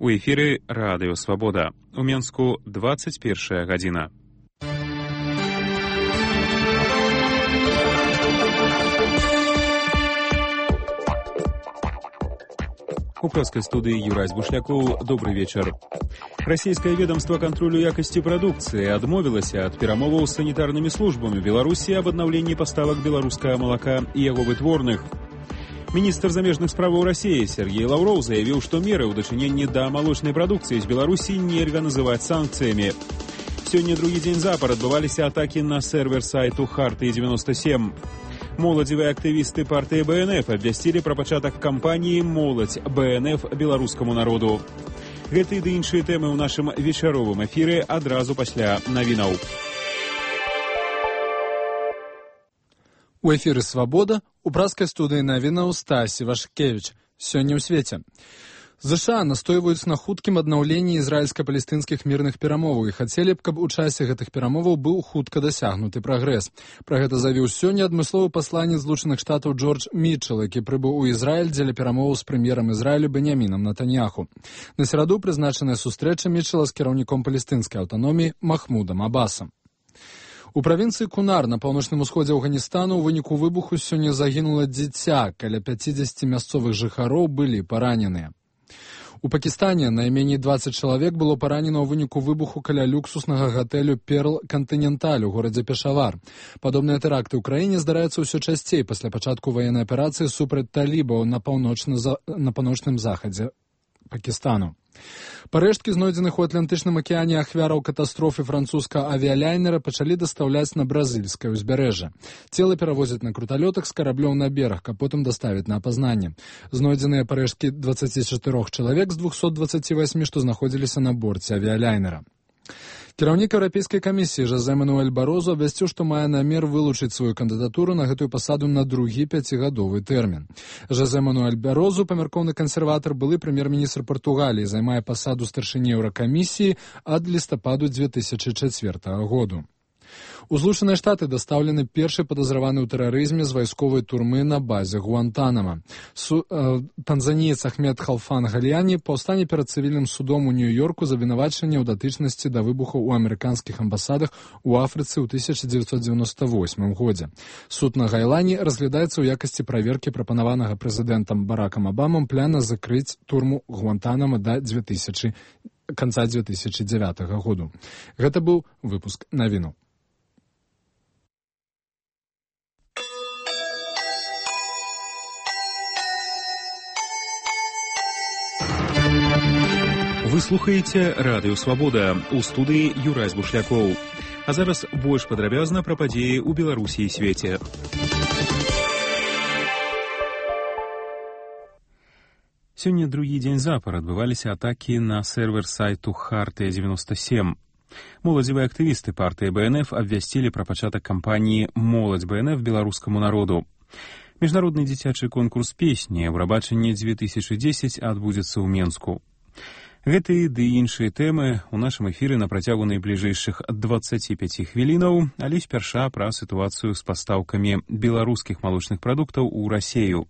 У эфіры Радыё Свабода. У Менску 21 гадзіна. У польскай студыі Юрай Бушлякоў. Добры вечар. Расійскае ведомство кантролю якасці прадукцыі адмовілася ад перамоваў з санітарнымі службамі Беларусі аб аднаўленні паставак беларускага малака і яго вытворных. Міністр замежных справаў Расіі Сергей Лаўроў заявіў, што меры ў дачыненні да малочнай прадукцыі з Беларусі нельга называць санкцыямі. Сёння другі дзень запар адбываліся атакі на сервер сайту Хартыі-97. Моладзевыя актывісты партыі БНФ абвясцілі пра пачатак кампаніі «Моладзь БНФ беларускаму народу». Гэты ды іншыя тэмы ў нашым вечаровым эфіры адразу пасля навінаў. У эфіры «Свабода» у праскай студыі навінаў Стасі Вашкевіч. Сёння ў свеце. ЗША настойваюць на хуткім аднаўленні ізраільска-палестынскіх мірных перамоваў і хацелі б, каб у часе гэтых перамоваў быў хутка дасягнуты прагрэс. Пра гэта заявіў сёння адмысловы пасланец Злучаных Штатаў Джордж Мітчел, які прыбыў у Ізраіль дзеля перамоваў з прэм'ерам Ізраілю Беньямінам Нетаньяху. На сераду прызначаная сустрэча Мітчела з кіраўніком палестынскай аўтаноміі Махмудам Абасам. У правінцыі Кунар на паўночным усходзе Афганістану ў выніку выбуху сёння загінула дзіця, каля 50 мясцовых жыхароў былі параненыя. У Пакістане найменей 20 чалавек было паранена ў выніку выбуху каля люксуснага гатэлю «Перл Кантыненталь» у горадзе Пешавар. Падобныя тэракты ў краіне здараюцца ўсё часцей пасля пачатку ваеннай аперацыі супраць талібаў на паўночным захадзе Пакістану. Парэшткі, знойдзеных у Атлантычным акіяне ахвяраў катастрофы французскага авіялайнера, пачалі дастаўляць на бразільскае ўзбярэжжа. Целы перавозяць на круталётах з караблёў на бераг, а потым даставяць на апазнанне. Знойдзеныя парэшткі 24 чалавек з 228, што знаходзіліся на борце авіялайнера. Кіраўнік Еўрапейскай камісіі Жозе Мануэль Барозу абвясціў, што мае намер вылучыць сваю кандыдатуру на гэтую пасаду на другі 5-гадовы тэрмін. Жозе Мануэль Барозу, памяркоўны кансерватар, былы прэм'ер-міністр Партугаліі, займае пасаду старшыні Еўракамісіі ад лістападу 2004 году. У Злучаныя Штаты дастаўлены першы падазраваны ў тэрарызме з вайсковай турмы на базе Гуантанама. Танзаніец Ахмед Халфан Галіяні паўстане перад цывільным судом у Нью-Йорку за абвінавачанне ў датычнасці да выбухаў у амерыканскіх амбасадах у Афрыцы ў 1998 годзе. Суд на Гайлані разглядаецца ў якасці праверкі прапанаванага прэзідэнтам Баракам Абамам пляна закрыць турму Гуантанама да канца 2009 году. Гэта быў выпуск навінаў. Вы слухаеце Радыё Свабода. У студыі Юрай Бушлякоў. А зараз больш падрабязна пра падзеі ў Беларусі і свеце. Сёння другі дзень запар адбываліся атакі на сервер сайту Хартыя-97. Моладзевыя актывісты партыі БНФ абвясцілі пра пачатак кампаніі «Моладзь БНФ беларускаму народу». Міжнародны дзіцячы конкурс песні «Еўрабачанне 2010» адбудзецца ў Менску. Гэтыя ды іншыя тэмы ў нашым эфіры на працягу найбліжэйшых 25 хвілінаў, але спярша пра сітуацыю з пастаўкамі беларускіх малочных прадуктаў у Расію.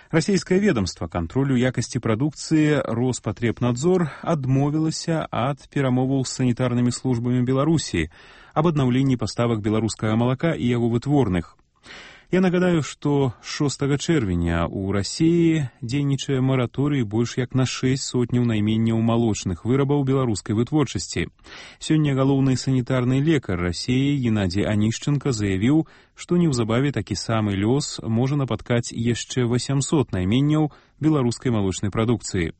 Расійскае ведомства кантролю якасці прадукцыі Роспатребнадзор адмовілася ад перамоваў з санітарнымі службамі Беларусі аб аднаўленні паставак беларускага малака і яго вытворных. Я нагадаю, што 6 чэрвеня ў Расіі дзейнічае мараторый больш як на 6 сотняў найменняў малочных вырабаў беларускай вытворчасці. Сёння галоўны санітарны лекар Расіі Геннадзій Анішченка заявіў, што неўзабаве такі самы лёс можа напаткаць яшчэ 800 найменняў беларускай малочнай прадукцыі.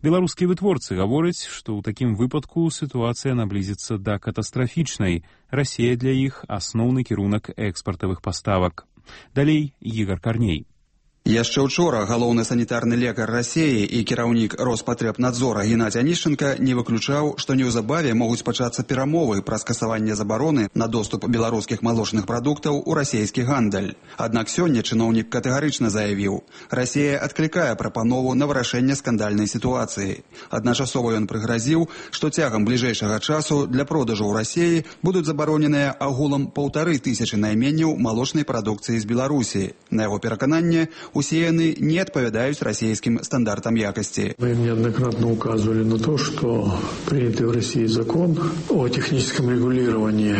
Беларускія вытворцы гавораць, што ў такім выпадку сітуацыя наблізіцца да катастрафічнай. Расія для іх асноўны кірунак экспартавых паставак. Далей Ігор Карней. Яшчэ учора галоўны санітарны лекар Расіі і кіраўнік Роспатребнадзора Геннадзій Анішченка не выключаў, што неўзабаве могуць пачацца перамовы пра скасаванне забароны на доступ беларускіх малочных прадуктаў у расійскі гандаль. Аднак сёння чыноўнік катэгарычна заявіў, Расія адклікае прапанову на вырашэнне скандальнай сітуацыі. Адначасова ён прыгразіў, што цягам бліжэйшага часу для продажу ў Расіі будуць забароненыя агулам 1500 найменняў малочнай прадукцыі з Беларусі. На яго перакананне, усе яны не адпавядаюць расійскім стандартам якасці. Мы неоднократно указывали на то, что принятый в России закон о техническом регулировании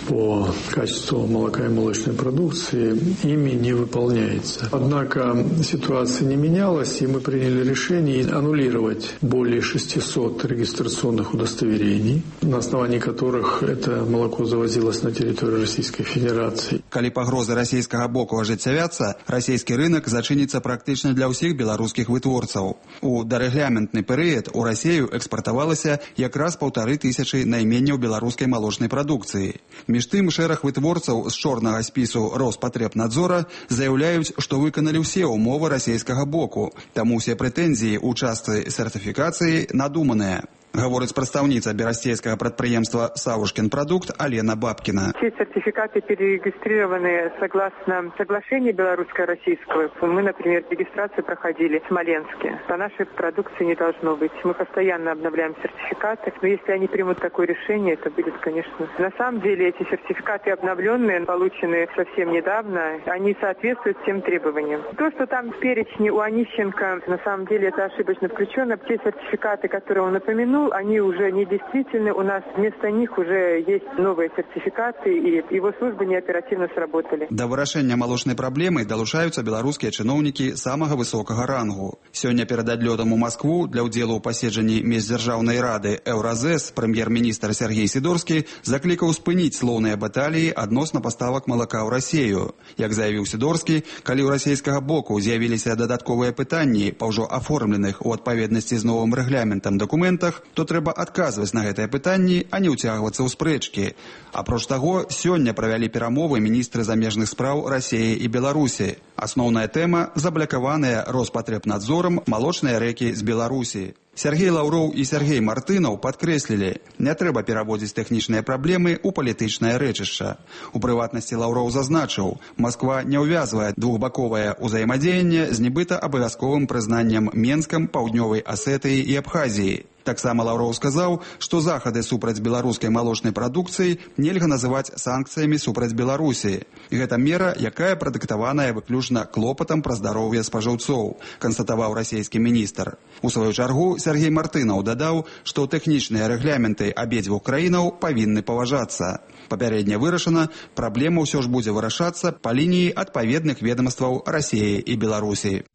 по качеству молока и молочной продукции ими не выполняется. Однако ситуация не менялась, и мы приняли решение аннулировать более 600 регистрационных удостоверений, на основании которых это молоко завозилось на территорию Российской Федерации. Калі пагрозы расійскага боку ажыццявяцца, расійскі рынок зачыніцца практычна для ўсіх беларускіх вытворцаў. У дарэгламентны перыяд у Расію экспартавалася якраз 1500 найменняў беларускай малочнай прадукцыі. Між тым, шэраг вытворцаў з чорнага спісу Роспатребнадзора заяўляюць, што выканалі ўсе ўмовы расійскага боку, таму ўсе прэтэнзіі ў частцы сертыфікацыі надуманыя. Говорит прадстаўніца берасцейскага прадпрыемства «Савушкин продукт» Алена Бабкина. Все сертификаты перерегистрированы согласно соглашению белорусско-российского. Мы, например, регистрацию проходили в Смоленске. По нашей продукции не должно быть. Мы постоянно обновляем сертификаты. Но если они примут такое решение, это будет, конечно... На самом деле эти сертификаты обновленные, полученные совсем недавно, они соответствуют всем требованиям. То, что там в перечне у Онищенко, на самом деле это ошибочно включено. Те сертификаты, которые он упомянул, они уже недействительны. У нас вместо них уже есть новые сертификаты, и его службы неоперативно сработали. Да вырашэння малочнай праблемы далучаюцца беларускія чыноўнікі самага высокага рангу. Сёння перад адлётам у Маскву для ўдзелу ў паседжанні міждзяржаўнай рады Еўразэс прэм'ер-міністр Сергей Сідорскі заклікаў спыніць слоўныя баталіі адносна паставак малака ў Расію. Як заявіў Сідорскі, калі ў расійскага боку з'явіліся дадатковыя пытанні па ўжо аформленых у адпаведнасці з новым рэгламентам дакументах, то трэба адказваць на гэтыя пытанні, а не ўцягвацца ў спрэчкі. Апроч таго, сёння правялі перамовы міністры замежных спраў Расіі і Беларусі. Асноўная тэма – заблакаваныя Роспатребнадзорам малочныя рэкі з Беларусі. Сергей Лаўроў і Сергей Мартынаў падкрэслілі, не трэба пераводзіць тэхнічныя праблемы ў палітычнае рэчышча. У прыватнасці Лаўроў зазначыў, Масква не ўвязвае двухбаковае ўзаемадзеянне з нібыта абавязковым прызнаннем Менскам, Паўднёвай Асетыі і Абхазіі. Таксама Лаўроў сказаў, што захады супраць беларускай малочнай прадукцыі нельга называць санкцыямі супраць Беларусі. Гэта мера, якая прадыктаваная выключна клопатам пра здароўе спажыўцоў, канстатаваў расійскі міністр. У сваю чаргу Сергей Мартынаў дадаў, што тэхнічныя рэгламенты абедзвюх краінаў павінны паважацца. Папярэдне вырашана, праблема ўсё ж будзе вырашацца па лініі адпаведных ведамстваў Расіі і Беларусі.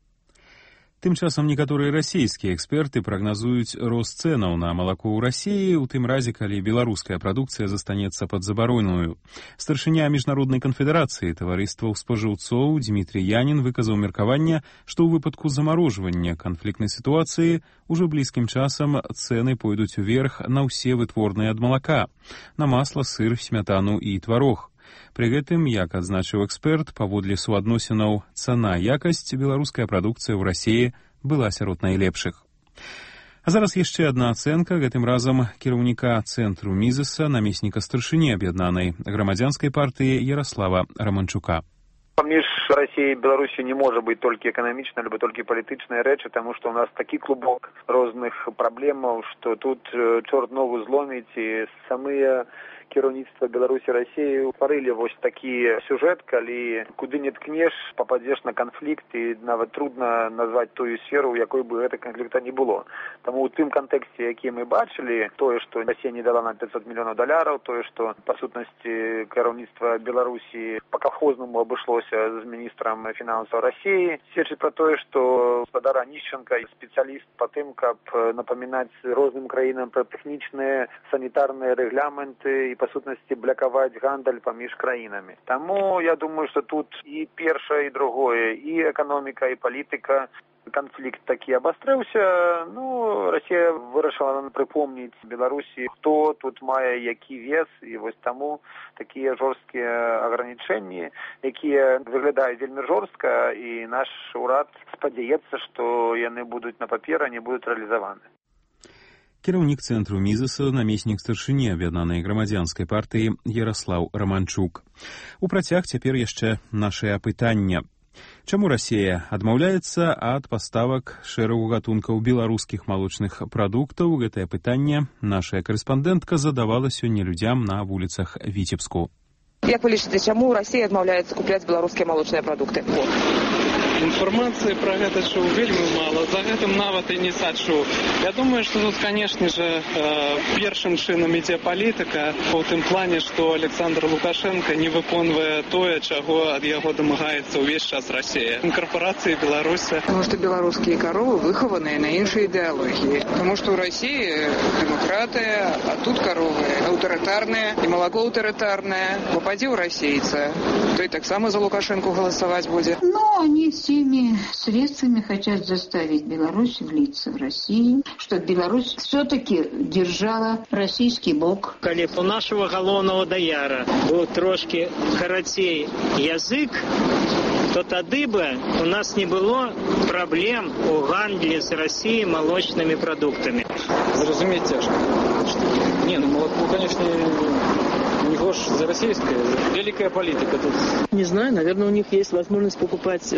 Тым часам некаторыя расійскія эксперты прагназуюць рост цэнаў на малако ў Расіі ў тым разе, калі беларуская прадукцыя застанецца пад забароную. Старшыня міжнароднай канфедэрацыі таварыстваў спажыўцоў Дмітрий Янін выказаў меркаванне, што ў выпадку замарожвання канфліктнай сітуацыі ўжо блізкім часам цэны пойдуць уверх на ўсе вытворныя ад малака, на масла, сыр, смятану і тварог. Пры гэтым, як адзначыў эксперт, паводле суадносінаў цана-якасць беларуская прадукцыя ў Расіі была сярод найлепшых. А зараз яшчэ адна ацэнка, гэтым разам кіраўніка цэнтру Мізеса, намесніка старшыні аб'яднанай грамадзянскай партыі Ярослава Романчука. Паміж Расіяй і Беларусі не можа быць толькі эканамічна, альбо толькі палітычныя рэчы, таму што ў нас такі клубок розных праблемаў, што тут чорт ногу зломіць, і самыя кіраўніцтва Беларусі і Расіі стварылі вось такі сюжэт, калі куды не ткнеш, пападзеш на канфлікт, і нават трудна назваць тую сферу, у якой бы гэта канфлікта не было. Таму ў тым кантэксце, які мы бачылі, тое, што Расія не дала нам $500 мільёнаў, тое, што па сутнасці кіраўніцтва Беларусі па калхознаму абышлося з міністрам фінансаў Расіі, сведчыць пра тое, што гаспадар Онищенко спецыяліст па тым, каб напамінаць розным краінам пра тэхнічныя санітарныя рэгламенты і па сутнасці блакаваць гандаль паміж краінамі. Таму я думаю, што тут і першае, і другое, і эканоміка, і палітыка. Канфлікт такі абастрыўся. Расія вырашыла прыпомніць Беларусі, хто тут мае які вес, і вось таму такія жорсткія агранічэнні, якія выглядаюць вельмі жорстка, і наш урад спадзяецца, што яны будуць на паперы, не будуць рэалізаваны. Кіраўнік цэнтру Мізеса, намеснік старшыні аб'яднанай грамадзянскай партыі Ярослаў Романчук. У працяг цяпер яшчэ нашае апытанне. Чаму Расія адмаўляецца ад паставак шэрагу гатункаў беларускіх малочных прадуктаў? Гэтае пытанне нашая карэспандэнтка задавала сёння людзям на вуліцах Віцебску. Як вы лічыце, чаму Расія адмаўляецца купляць беларускія малочныя прадукты? Інфармацыі пра гэта чуў вельмі мала, за гэтым нават і не сачу. Я думаю, што тут, канешне же, першым чынам ідзе палітыка у тым плане, што Александр Лукашенко не выконвае тое, чаго ад яго дамагаецца ўвесь час Расія. Корпорацыі Беларуси. Потому что белорусские коровы выхованные на іншай идеологии. Потому что у России демократия, а тут коровы аўтарытарныя и молоко аўтарытарнае. Попади у российца, то и так само за Лукашенко голосовать будет. Но они всеми средствами хотят заставить Беларусь влиться в Россию, чтобы Беларусь все-таки держала российский бок. Коли у нашего галоўнага даяра был трошки карацей язык, то тады бы у нас не было проблем у гандлі з Россией молочными продуктами. Зразумець цяжка. Не, ну молоко, конечно, не гож за российское, великая политика тут. Не знаю, наверное, у них есть возможность покупать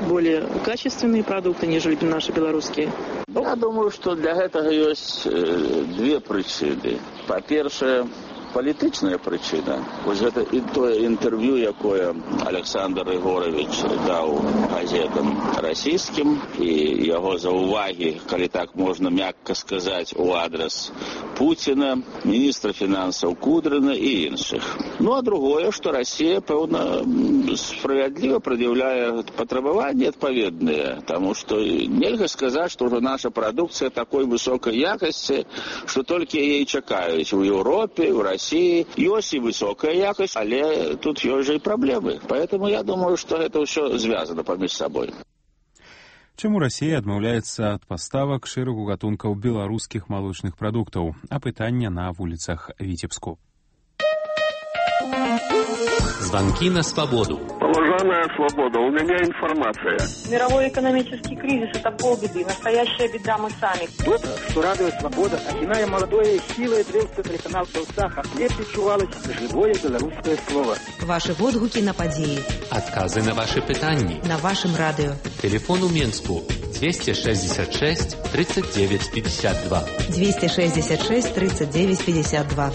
более качественные продукты, нежели наши белорусские. Я думаю, что для этого есть две причины. По-перше, політична причина. Ось це і те інтерв'ю, яке Олександр Ігорович дав газетам російським, і його зауваги, коли так можна м'яко сказати, у адрес Путіна, міністра фінансів Кудрина і інших. Ну, а другое, що Росія, певно, справедливо пред'являє потребування відповідне, тому що нельзя сказати, що наша продукція такої високої якості, що тільки її чекають в Європі, в Росії. Есть и высокая якость, але тут есть же и проблемы. Поэтому я думаю, что это все связано поміж собой. Чаму Расія адмаўляецца ад паставак шэрагу гатункаў беларускіх малочных прадуктаў? Апытанне на вуліцах Віцебску. Звонки на свободу. Уважаемая свобода, у меня информация. Мировой экономический кризис – это полбеды. Настоящая беда мы сами. Тот, что радує свобода, окинає молодое силой древства телеканал «Саха», где відчувалось живое белорусское слово. Ваши отгуки на події. Отказы на ваши питання. На вашем радио. Телефон у Минску 266 39 52. 266 39 52.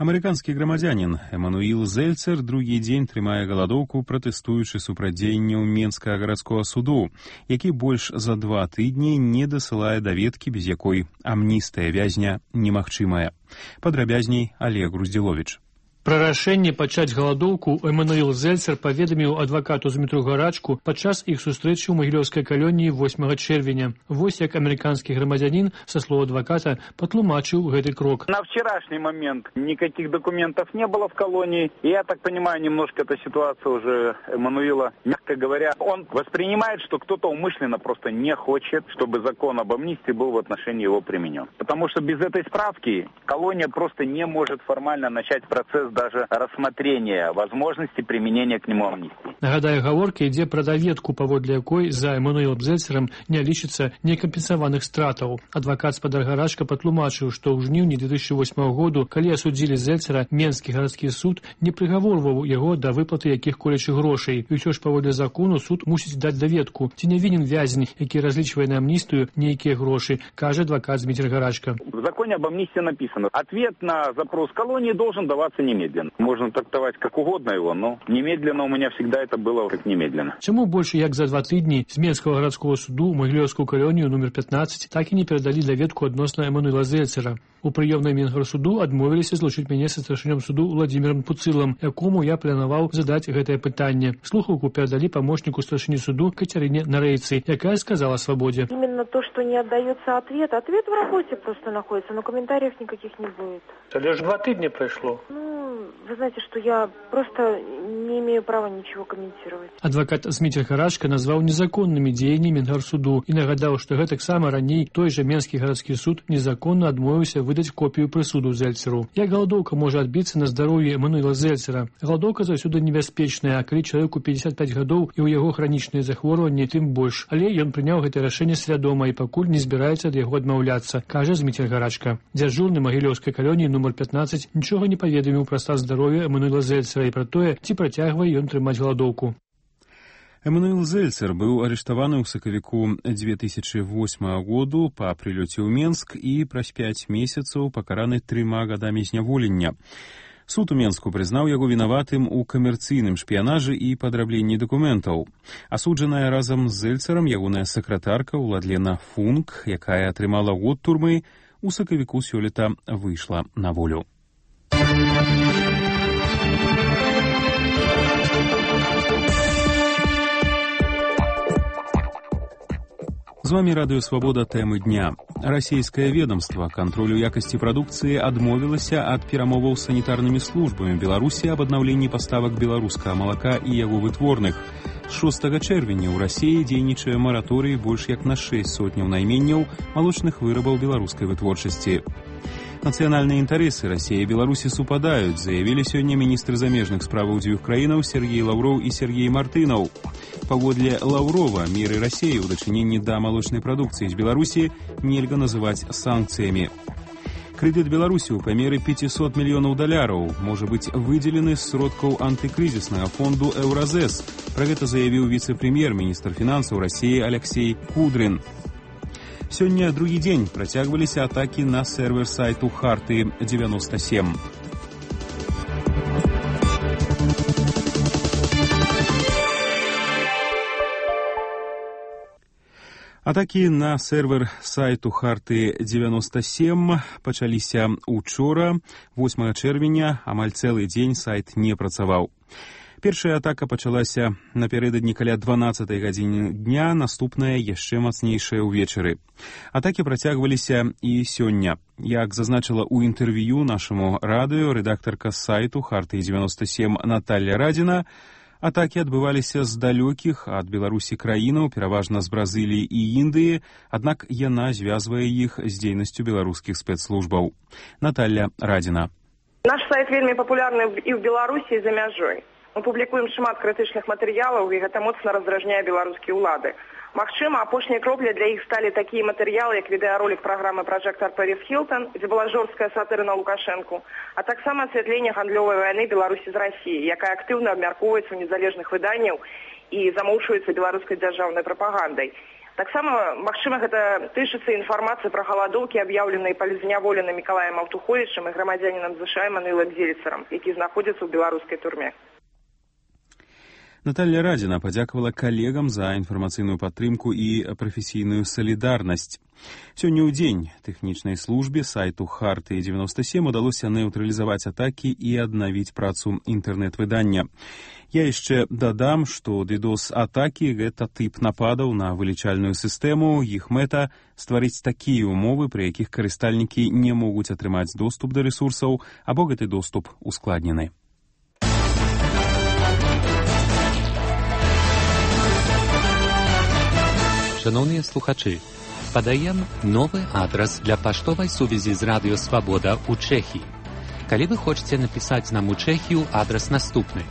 Амерыканскі грамадзянін Эмануіл Зельцер другі дзень трымае галадоўку, пратэстуючы супраць дзеянняў Менскага гарадскога суду, які больш за 2 тыдні не дасылае даведкі, без якой амністыя вязня немагчымая. Падрабязней Олег Груздзіловіч. Пра рашэнне пачаць галадоўку Эмануіл Зельцер паведаміў адвакату Змітру Гарачку падчас іх сустрэчы ў Магілёўскай калоніі 8 чэрвеня. Вось як амерыканскі грамадзянін, са слоў адваката, патлумачыў гэты крок. На вчерашний момент никаких документов не было в колонии. И я так понимаю, немножко эта ситуация уже Эмануила, мягко говоря, он воспринимает, что кто-то умышленно просто не хочет, чтобы закон об амнистии был в отношении его применен. Потому что без этой справки колония просто не может формально начать процесс даже рассмотрения возможности применения к нему амнистии. Нагадаю, гаворка ідзе пра даведку, паводле якой за Эмануілам Зельцерам не лічыцца некампенсаваных стратаў. Адвакат спадар Гарачка патлумачыў, што ў жніўні 2008 году, калі асудзілі Зельцера, Менскі гарадскі суд не прыгаворваў яго да выплаты якіх-колечых грошай. І ўсё ж паводле закону суд мусіць даць даведку, ці не вінен вязень, які разлічвае на амністыю нейкія грошы, кажа адвакат Зміцер Гарачка. В законе об амнистии написано: ответ на запрос колонии должен даваться немедленно. Можно трактовать как угодно его, но немедленно у меня всегда это было как немедленно. Чаму больше як за 2 тыдні з Менскага гарадского суду ў Магілёўскую калонію номер 15 так і не перадалі даведку адносна Эмануіла Зельцера? У прыёмнай Менгарсуду адмовіліся злучыць мяне са старшынём суду Владзімірам Пуцылам, якому я планаваў задаць гэтае пытанне. Слухаўку перадалі памочніку старшыні суду Кацярыне Нарейцы, якая сказала свабодзе. Именно то, что не отдается ответ. Ответ в работе просто находится, но комментариев никаких не будет. Это лишь 2 тыдня прошло. Вы знаете, что я просто не имею права ничего комментировать. Адвокат Зміцер Гарачка назваў незаконнымі дзеянні Менгарсуду і нагадаў, што гэтаксама раней той жа Менскі гарадскі суд незаконна адмовіўся выдаць копію прысуду Зельцеру. Як галадоўка можа адбіцца на здароўі Эмануіла Зельцера? Галадоўка заўсёды небяспечная, а калі чалавеку 55 гадоў і ў яго хранічныя захворванні, тым больш. Але ён прыняў гэтае рашэнне свядома і пакуль не збіраецца ад яго адмаўляцца, кажа Зміцер Гарачка. Дзяжурны Магілёўскай калоніі номер 15 нічога не паведаміў пра стан здароўя Эмануіла Зельцера і пра тое, ці працягвае ён трымаць галадоўку. Эмануіл Зельцер быў арыштаваны ў сакавіку 2008 году па прылёце ў Менск і праз 5 месяцаў пакараны 3 гадамі зняволення. Суд у Менску прызнаў яго вінаватым у камерцыйным шпіянажы і падрабленні дакументаў. Асуджаная разам з Зельцерам ягоная сакратарка Уладлена Функ, якая атрымала год турмы, у сакавіку сёлета выйшла на волю. З вами Радыё Свабода, тэмы дня. Расійскае ведомства кантролю якасці прадукцыі адмовілася ад перамоваў з санітарнымі службамі Беларусі аб аднаўленні паставак беларускага малака і яго вытворных. З 6 чэрвеня ў Расіі дзейнічае мараторый больш як на 6 сотняў найменняў малочных вырабаў беларускай вытворчасці. Нацыянальныя інтарэсы Расіі і Беларусі супадаюць, заявілі сёння міністры замежных справаў дзвюх краінаў Сергей Лаўроў і Сергей Мартынаў. Паводле Лаўрова, меры Расіі ў дачыненні да малочнай прадукцыі з Беларусі нельга называць санкцыямі. Крэдыт Беларусі ў памеры $500 мільёнаў можа быць выдзелены з сродкаў антыкрызіснага фонду «Еўразэс». Пра гэта заявіў віцэ-прэм'ер, міністр фінансаў Расіі Алексей Кудрин. Сёння другі дзень працягваліся атакі на сервер сайту Харты-97. Атакі на сервер сайту Харты-97 пачаліся учора, 8 чэрвеня, амаль цэлы дзень сайт не працаваў. Першая атака пачалася напярэдадні каля 12 гадзіны дня, наступная яшчэ мацнейшая ўвечары. Атакі працягваліся і сёння. Як зазначыла ў інтэрв'ю нашаму радыё рэдактарка сайту Харты-97 Наталья Радзіна, атакі адбываліся з далёкіх ад Беларусі краінаў, пераважна з Бразыліі і Індыі, аднак яна звязвае іх з дзейнасцю беларускіх спецслужбаў. Наталья Радзіна. Наш сайт вельмі папулярны і ў Беларусі, і за мяжой. Мы публікуем шмат крытычных матэрыялаў, і гэта моцна раздражняе беларускія ўлады. Магчыма, апошняй кропляй для іх сталі такія матэрыялы, як відэаролік праграмы «Пражэктар Пэрис Хілтон», дзе была жорсткая сатыра на Лукашэнку, а таксама асвятленне гандлёвай вайны Беларусі з Расіяй, якая актыўна абмяркоўваецца ў незалежных выданняў і замоўчваецца беларускай дзяржаўнай прапагандай. Таксама, магчыма, гэта тычыцца інфармацыі пра галадоўкі, аб'яўленыя палізняволеным Мікалаем Аўтуховічам і грамадзянінам США Эмануэлам Зельцерам, які знаходзіцца ў беларускай турме. Наталья Радзіна падзякавала калегам за інфармацыйную падтрымку і прафесійную салідарнасць. Сёння ў дзень тэхнічнай службе сайту Харты-97 удалося нейтралізаваць атакі і аднавіць працу інтэрнэт-выдання. Я яшчэ дадам, што DDoS-атакі – гэта тып нападаў на вылічальную сістэму. Іх мэта – стварыць такія ўмовы, пры якіх карыстальнікі не могуць атрымаць доступ да рэсурсаў, або гэты доступ ускладнены. Шановні слухачі, подаємо новий адрес для поштової сувязі з Радіо Свобода у Чехії. Коли ви хочете написати нам у Чехію, адрес наступний.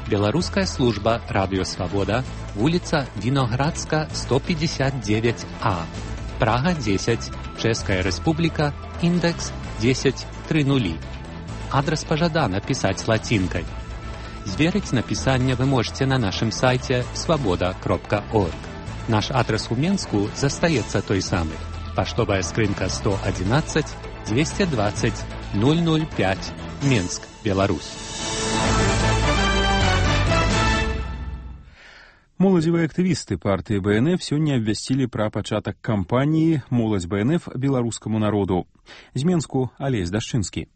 Белорусская служба Радио Свобода, улица Виноградска, 159А, Прага 10, Чешская Республика, индекс 1030. Адрес пожадано писать латинкой. Зверить написание вы можете на нашем сайте svoboda.org. Наш адрес у Менску застаецца той самый. Поштовая скрынка 111 220 005, Менск, Беларусь. Моладзевыя актывісты партыі БНФ сёння абвясцілі пра пачатак кампаніі «Моладзь БНФ беларускаму народу». З Менску Алесь Дашчынскі.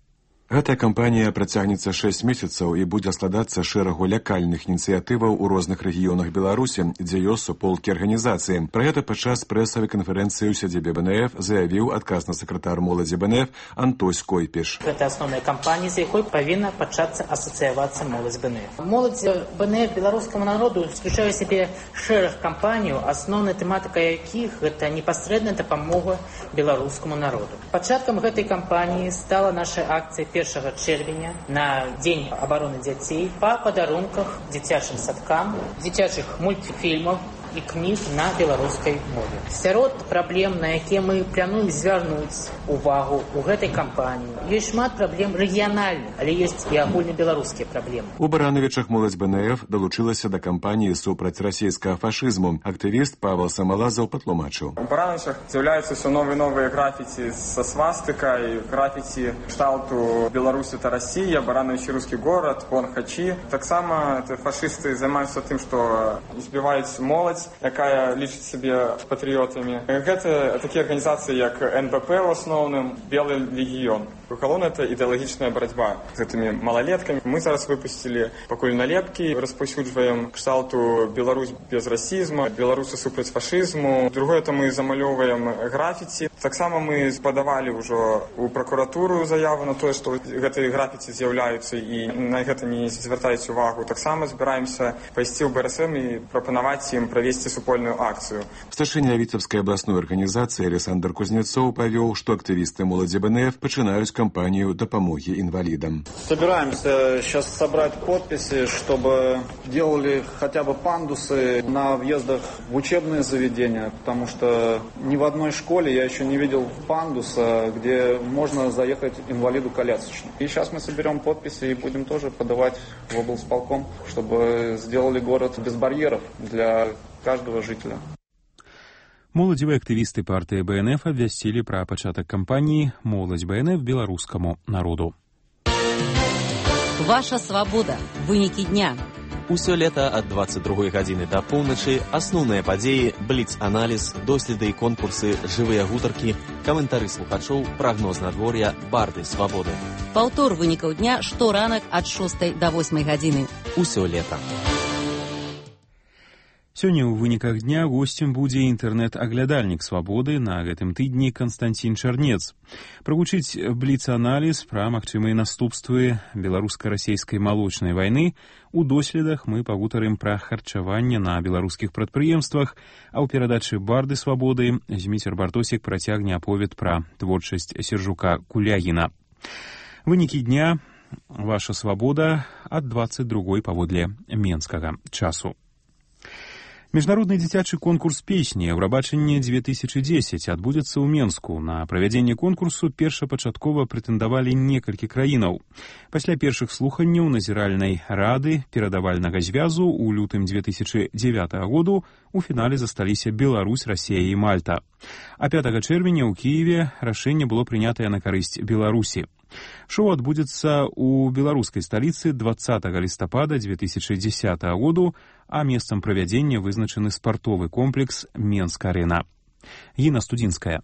Гэтая кампанія працягнецца 6 месяцаў і будзе складацца шэрагу лякальных ініцыятываў у розных рэгіёнах Беларусі, дзе ёсць суполкі арганізацыі. Пра гэта падчас прэсавай канферэнцыі ў сядзібе БНФ заявіў адказны сакратар моладзі БНФ Антось Койпіш. Гэта асноўная кампанія, з якой павінна пачацца асацыявацца моладзь БНФ. Моладзь БНФ беларускаму народу уключае сябе шэраг кампаній, асноўная тэматыка якіх гэта непасрэдная дапамога беларускаму народу. Пачаткам гэтай кампаніі стала наша акцыя 1 чэрвеня на Дзень абароны дзяцей па падарунках дзіцячым садкам, дзіцячых мультфільмаў і кніг на беларускай мове. Сярод праблем, на якія мы плануем звярнуць увагу ў гэтай кампаніі, ёсць шмат праблем рэгіянальных, але ёсць і агульнабеларускія праблемы. У Барановічах моладзь БНФ далучылася да кампаніі супраць расійскага фашызму. Актывіст Павел Самалазаў патлумачыў. У Барановичах з'яўляюцца ўсё новыя графіці са свастыкай, графіці кшталту Беларусь это Россия, Баранович русский город, вон Хачи. Таксама фашысты займаюцца тым, што збіваюць моладзь, якая лічыць сябе патрыётамі. Гэта такія арганізацыі, як НБП в асноўным, Белый легіён. Галоўна это ідэалагічная барацьба з гэтымі малалеткамі. Мы зараз выпусцілі пакуль налепкі, распаўсюджваем кшталту Беларусь без расізму, беларусы супраць фашызму. Другое это мы замалёўваем графіці. Таксама мы падавалі ўжо ў пракуратуру заяву на тое, што гэтыя графіці з'яўляюцца і на гэта не звяртаюць увагу. Таксама збіраемся пайсці ў БРСМ і прапанаваць ім правесці супольную акцыю. Старшыня Віцебскай абласной арганізацыі Александр Кузнецоў павёў, што актывісты моладзі БНФ пачынаюць кампанию допомоги инвалидам. Собираемся сейчас собрать подписи, чтобы делали хотя бы пандусы на въездах в учебные заведения, потому что ни в одной школе я еще не видел пандуса, где можно заехать инвалиду-колясочнику. И сейчас мы соберем подписи и будем тоже подавать в облсполком, чтобы сделали город без барьеров для каждого жителя. Моладзевыя актывісты партыі БНФ абвясцілі пра пачатак кампаніі «Моладзь БНФ беларускаму народу». Ваша свабода. Вынікі дня. Усё лета ад 22 гадзіны да поўначы асноўныя падзеі, бліц-аналіз, доследы і конкурсы, жывыя гутаркі, каментары слухачоў, прагноз надвор'я, барды свабоды. Паўтор вынікаў дня шторанак ад 6 да 8 гадзіны. Усё лета. Сёння ў выніках дня госцем будзе інтэрнэт-аглядальнік свабоды на гэтым тыдні Канстанцін Чарнец. Прагучыць бліц-аналіз пра магчымыя наступствы беларуска-расейскай малочнай вайны. У доследах мы пагутарым пра харчаванне на беларускіх прадпрыемствах, а ў перадачы «Барды свабоды» Зміцер Бартосік працягне аповед пра творчасць Сержука Кулягіна. Вынікі дня «Ваша свабода» ад 22 паводле менскага часу. Міжнародны дзіцячы конкурс песні «Еўрабачанне 2010» адбудзецца ў Менску. На правядзенне конкурсу першапачаткова прэтэндавалі некалькі краінаў. Пасля першых слуханняў назіральнай рады перадавальнага звязу ў лютым 2009 году у фінале засталіся Беларусь, Расія і Мальта. А 5 чэрвеня ў Кіеве рашэнне было прынятае на карысць Беларусі. Шоу адбудзецца ў беларускай сталіцы 20 лістапада 2010 году, а месцам правядзення вызначаны спартовы комплекс «Менск-арена». Гіна Студзінская.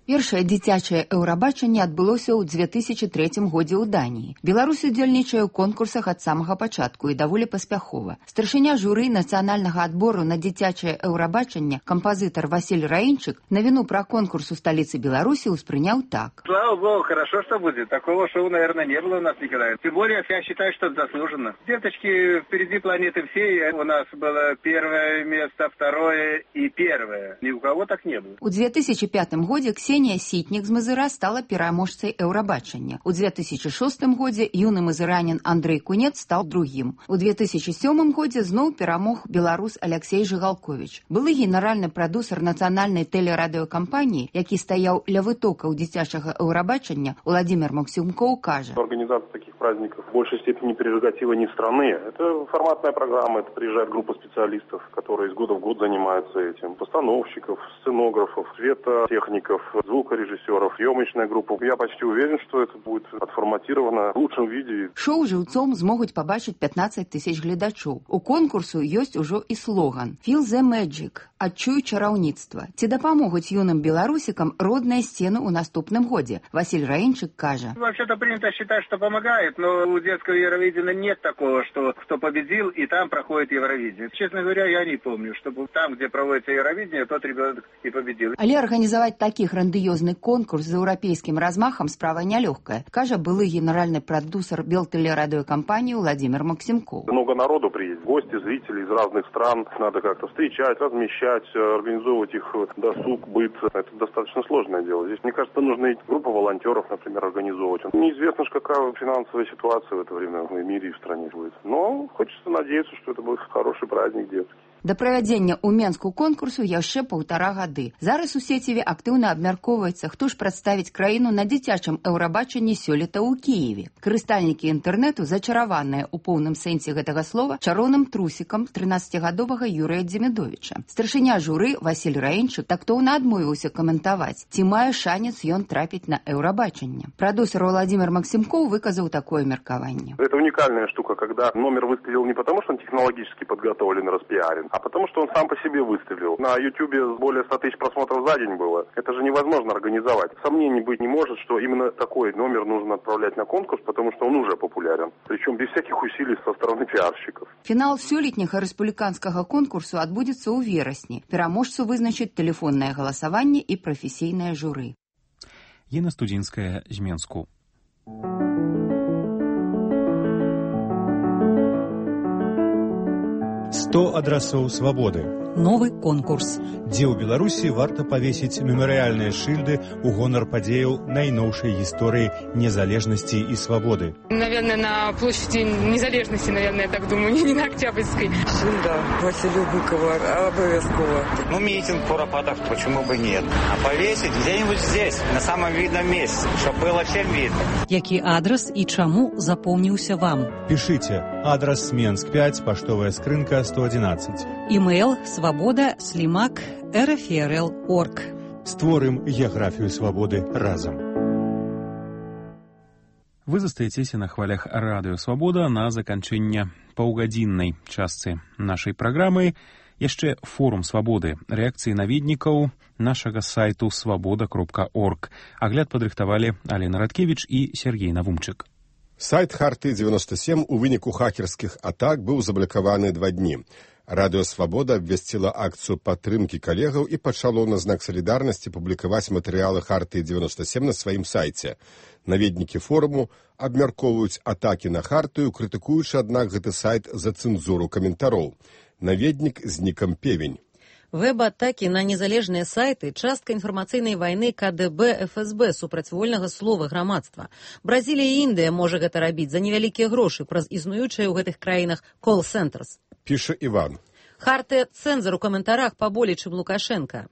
Першае дзіцячае еўрабачанне адбылося ў 2003 годзе ў Даніі. Беларусь удзельнічае ў конкурсах ад самага пачатку і даволі паспяхова. Старшыня журы нацыянальнага адбору на дзіцячае еўрабачанне, кампазітар Василь Раінчык, навіну пра конкурс у сталіцы Беларусі успрыняў так. Слава богу, хорошо, что будет. Такого шоу, наверное, не было у нас никогда. Тем более, я считаю, что это заслуженно. Деточки, впереди планеты всей. У нас было первое место, второе и первое. Ни у кого так не было. У 2005 годзе Ксенія Сітнік з Мазыра стала пераможцай еўрабачання. У 2006 годзе юны мазыранін Андрэй Кунец стаў другім. У 2007 годзе зноў перамог беларус Алексей Жыгалковіч. Былы генеральны прадусар нацыянальнай тэлерадыёкампаніі, які стаяў ля вытокаў дзіцячага еўрабачання, Владимир Максимков кажа. Организация таких праздников в большей степени прерогатива не страны. Это форматная программа, это приезжает группа специалистов, которые из года в год занимаются этим. Постановщиков, сценографов, светотехников, звукорежиссеров, съемочная группа. Я почти уверен, что это будет отформатировано в лучшем виде. Шоу жыўцом змогуць пабачыць 15 тысяч гледачоў. У конкурсу ёсць ужо і слоган «Feel the magic» – «Адчуй чараўніцтва». Ці дапамогуць юным беларусікам родныя сцены ў наступным годзе? Василь Раінчык кажа. Вообще-то принято считать, что помогает, но у детского Евровидения нет такого, что кто победил и там проходит Евровидение. Честно говоря, я не помню, чтобы там, где проводится Евровидение, тот ребенок и победил. Але арганізаваць такі грандыёзны конкурс з еўрапейскім размахам справа нялёгкая, кажа былы генеральны прадусар Белтэлерадыёкампаніі Владимир Максимков. Много народу приедет, гости, зрители из разных стран. Надо как-то встречать, размещать, организовывать их досуг, быт. Это достаточно сложное дело. Здесь, мне кажется, нужно и группу волонтеров, например, организовывать. Неизвестно, какая финансовая ситуация в это время в мире и в стране будет. Но хочется надеяться, что это будет хороший праздник детский. Да правядзення ў Менску конкурсу яшчэ 1,5 гады. Зараз у сеціве актыўна абмяркоўваецца, хто ж прадставіць краіну на дзіцячым еўрабачанні сёлета ў Кіеве. Карыстальнікі інтэрнэту зачараваныя ў поўным сэнсе гэтага слова чароўным трусікам 13гадовага Юрыя Дземідовіча. Старшыня журы Васіль Раінчык тактоўна адмовіўся каментаваць, ці мае шанец ён трапіць на еўрабачанне. Прадюсер Владимир Максимков выказаў такое меркаванне. Это уникальная штука, когда номер выстрелил не потому, что он технологически подготовлен и распиарен, а потому, что он сам по себе выстрелил. На Ютубе более 100 тысяч просмотров за день было. Это же невозможно организовать. Сомнений быть не может, что именно такой номер нужно отправлять на конкурс, потому что он уже популярен. Причем без всяких усилий со стороны пиарщиков. Фінал сёлетняга рэспубліканскага конкурсу адбудзецца ў верасні. Пераможцу вызначыць тэлефоннае галасаванне і прафесійнае журы. Ена Студзінская з Менску. «100 адрасоў свабоды». Новы конкурс. Дзе ў Беларусі варта павесіць мемарыяльныя шыльды ў гонар падзеяў найноўшай гісторыі незалежнасці і свабоды. Наверное, на площади незалежности, наверное, я так думаю, не на Октябрьской. Шильда Василию Быкову обовязково. Ну, митинг куропатов, почему бы нет? А повесить где-нибудь здесь, на самом видном месте, чтобы было всем видно. Які адрес і чаму запомніўся вам? Пішыце. Адрес Менск 5, паштовая скрынка 111. Імейл svoboda@rfrl.org. Створым геаграфію свабоды разам. Вы застаецеся на хвалях радыё «Свабода» на заканчэнне паўгадзіннай частцы нашай праграмы. Яшчэ форум «Свабоды», рэакцыі наведнікаў нашага сайту svoboda.org. Агляд падрыхтавалі Алена Радкевіч і Сергей Навумчык. Сайт Харты-97 у выніку хакерскіх атак быў заблакаваны 2 дні. Радыё «Свабода» абвясціла акцыю падтрымкі калегаў і пачало на знак салідарнасці публікаваць матэрыялы Харты-97 на сваім сайце. Наведнікі форуму абмяркоўваюць атакі на Хартыю, крытыкуючы, аднак, гэты сайт за цэнзуру каментароў. Наведнік з нікам Певень. Вэб-атакі на незалежныя сайты – частка інфармацыйнай вайны КДБ ФСБ супраць вольнага слова грамадства. Бразілія і Індыя можа гэта рабіць за невялікія грошы праз існуючыя ў гэтых краінах кол-цэнтрс. Піша Іван. Харты цэнзар у каментарах паболей, чым Лукашенка.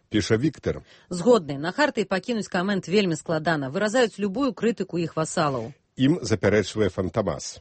Піша Віктор. Згодны, на Харты пакінуць камент вельмі складана, выразаюць любую крытыку іх васалаў. Ім запярэчвае Фантамас.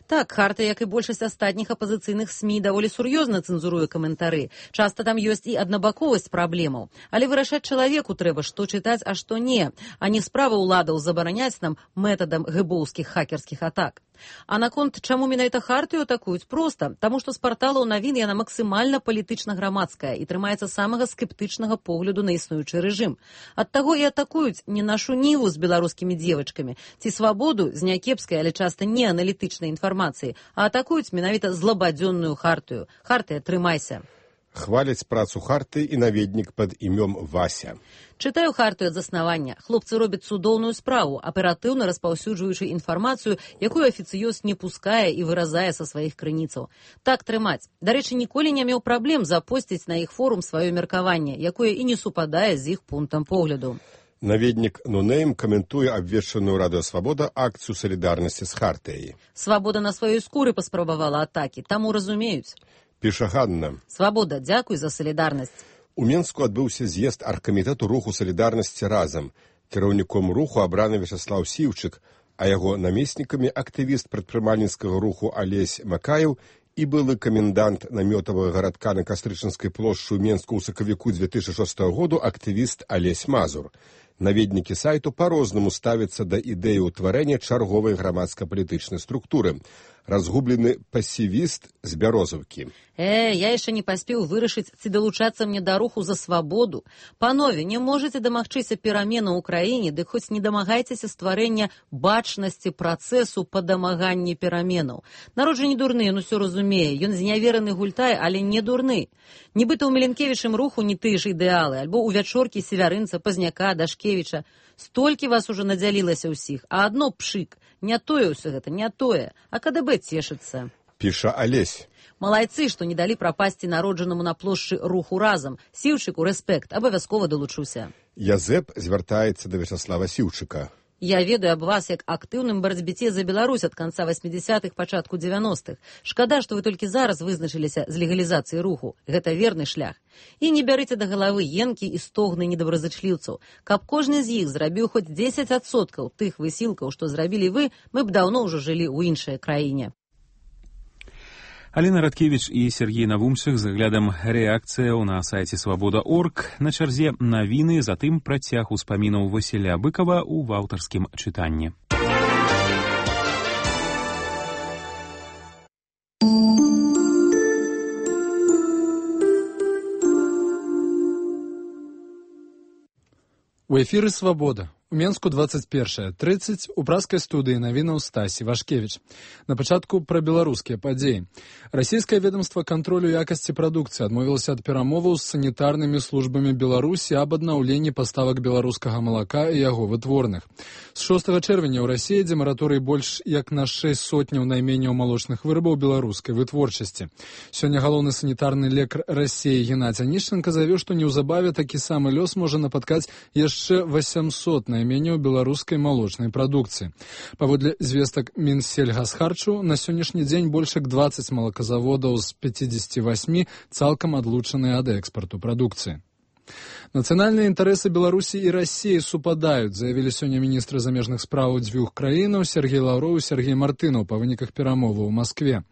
Так, Харта, як і большасць астатніх апазіцыйных СМІ, даволі сур'ёзна цэнзуруе каментары. Часта там ёсць і аднабаковасць праблемаў. Але вырашаць чалавеку трэба, што чытаць, а што не, а не справа ўладаў забараняць нам метадам гэбоўскіх хакерскіх атак. А наконт, чаму менавіта Хартыю атакуюць? Проста, таму што з парталаў навін яна максімальна палітычна-грамадская і трымаецца самага скептычнага погляду на існуючы рэжым. Ад таго і атакуюць не нашу ніву з беларускімі дзевачкамі, ці свабоду з някепскай, але часта не аналітычнай інфармацыі, а атакуюць менавіта злабадзённую Хартыю. Хартыя, трымайся. Хваляць працу Харты і наведнік пад імём Вася. Чытаю Хартыю ад заснавання. Хлопцы робяць цудоўную справу, аператыўна распаўсюджваючы інфармацыю, якую афіцыёз не пускае і выразае са сваіх крыніцаў. Так трымаць. Дарэчы, ніколі не меў праблем запосціць на іх форум сваё меркаванне, якое і не супадае з іх пунктам погляду. Наведнік Нунейм каментуе абвешчаную Радыё Свабода акцыю салідарнасці з Хартыяй. Свабода на сваёй скуры паспрабавала атакі, таму разумеюць. Піша Ганна. Свабода, дзякуй за салідарнасць. У Менску адбыўся з'езд аргкамітэту руху салідарнасці разам. Кіраўніком руху абраны Вячаслаў Сіўчык, а яго намеснікамі актывіст прадпрымальніцкага руху Алесь Макаеў і былы камендант намётавага гарадка на Кастрычынскай плошчы ў Менску ў сакавіку 2006 году актывіст Алесь Мазур. Наведнікі сайту па-рознаму ставяцца да ідэі ўтварэння чарговай грамадска-палітычнай структуры. Разгублены пасівіст з Бярозаўкі. Я яшчэ не паспеў вырашыць, ці далучацца мне да руху за свабоду. Панове, не можаце дамагчыся пераменаў у краіне, дык хоць не дамагайцеся стварэння бачнасці працэсу па дамаганні пераменаў. Народ жа не дурны, ён усё разумее. Ён знявераны гультай, але не дурны. Нібыта ў Міленкевічым руху не тыя ж ідэалы, альбо ў вячоркі Севярынца, Пазняка, Дашкевіча. Столькі вас ужо надзялілася ўсіх, а адно пшык. Не тое ўсё гэта, не тое, а КДБ цешыцца. Піша Алесь. Малайцы, што не далі прапасці народжанаму на плошчы руху разам. Сіўчыку рэспект, абавязкова далучуся. Язэп звяртаецца да Вячаслава Сіўчыка. Я ведаю аб вас як актыўным барацьбіце за Беларусь ад канца 80-х, пачатку 90-х. Шкада, што вы толькі зараз вызначыліся з легалізацыяй руху. Гэта верны шлях. І не бярыце да галавы енкі і стогны недобразычліўцаў. Каб кожны з іх зрабіў хоць 10% тых высілкаў, што зрабілі вы, мы б даўно ўжо жылі ў іншай краіне. Алена Радкевич і Сергей Навумчык з аглядам рэакцыяў на сайце «Свабода.орг». На чарзе навіны, затым працяг успамінаў Васіля Быкова ў аўтарскім чытанні. У эфіры «Свабода». У Менску 21:30 у праскай студыі навінаў Стасі Вашкевіч. На пачатку пра беларускія падзеі. Расійскае ведомства кантролю якасці прадукцыі адмовілася ад перамоваў з санітарнымі службамі Беларусі аб аднаўленні паставак беларускага малака і яго вытворных. З 6 чэрвеня ў Расіі ідзе мараторый больш як на 6 сотняў найменняў малочных вырабаў беларускай вытворчасці. Сёння галоўны санітарны лекар Расіі Геннадзь Анішченка заявіў, што неўзабаве такі самы лёс можа напаткаць яшчэ 800 найменняў беларускай малочнай прадукцыі. Паводле звестак Мінсельгасхарчу, на сённяшні дзень больш як 20 малаказаводаў з 58 цалкам адлучаныя ад экспарту прадукцыі. Нацыянальныя інтарэсы Беларусі і Расіі супадаюць, заявілі сёння міністры замежных спраў дзвюх краінаў Сергей Лаўроў і Сергей Мартынаў па выніках перамоваў у Маскве.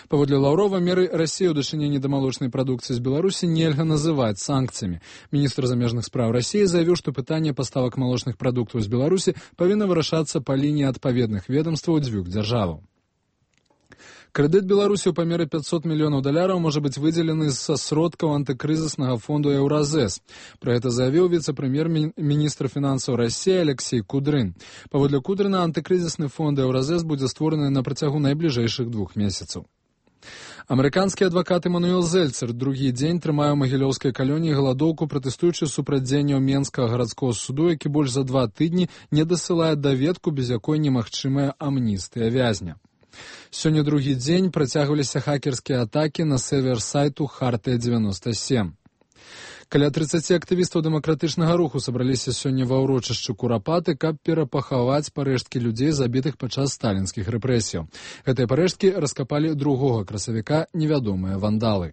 Паводле Лаўрова, меры Расіі ў дачыненні да малочнай прадукцыі з Беларусі нельга называць санкцыямі. Міністр замежных спраў Расіі заявіў, што пытанне паставак малочных прадуктаў з Беларусі павінна вырашацца па лініі адпаведных ведомстваў дзвюх дзяржаваў. Крэдыт Беларусі ў памеры $500 мільёнаў можа быць выдзелены са сродкаў антыкрызіснага фонду Еўразэс. Пра гэта заявіў віцэ-прэм'ер-міністр фінансаў Расіі Алексей Кудрын. Паводле Кудрына, антыкрызісны фонд Еўразэс будзе створаны на працягу найбліжэйшых 2 месяцаў. Амерыканскі адвакат Эмануэл Зельцер другі дзень трымае ў магілёўскай калоніі галадоўку, пратэстуючы супраць дзеянняў Менскага гарадскога суду, які больш за 2 тыдні не дасылае даведку, без якой немагчымая амністыя вязня. Сёння другі дзень працягваліся хакерскія атакі на сервер сайту Хартыя-97. Каля 30 актывістаў дэмакратычнага руху сабраліся сёння ва ўрочышчы Курапаты, каб перапахаваць парэшткі людзей, забітых падчас сталінскіх рэпрэсіяў. Гэтыя парэшткі раскапалі 2 красавіка невядомыя вандалы.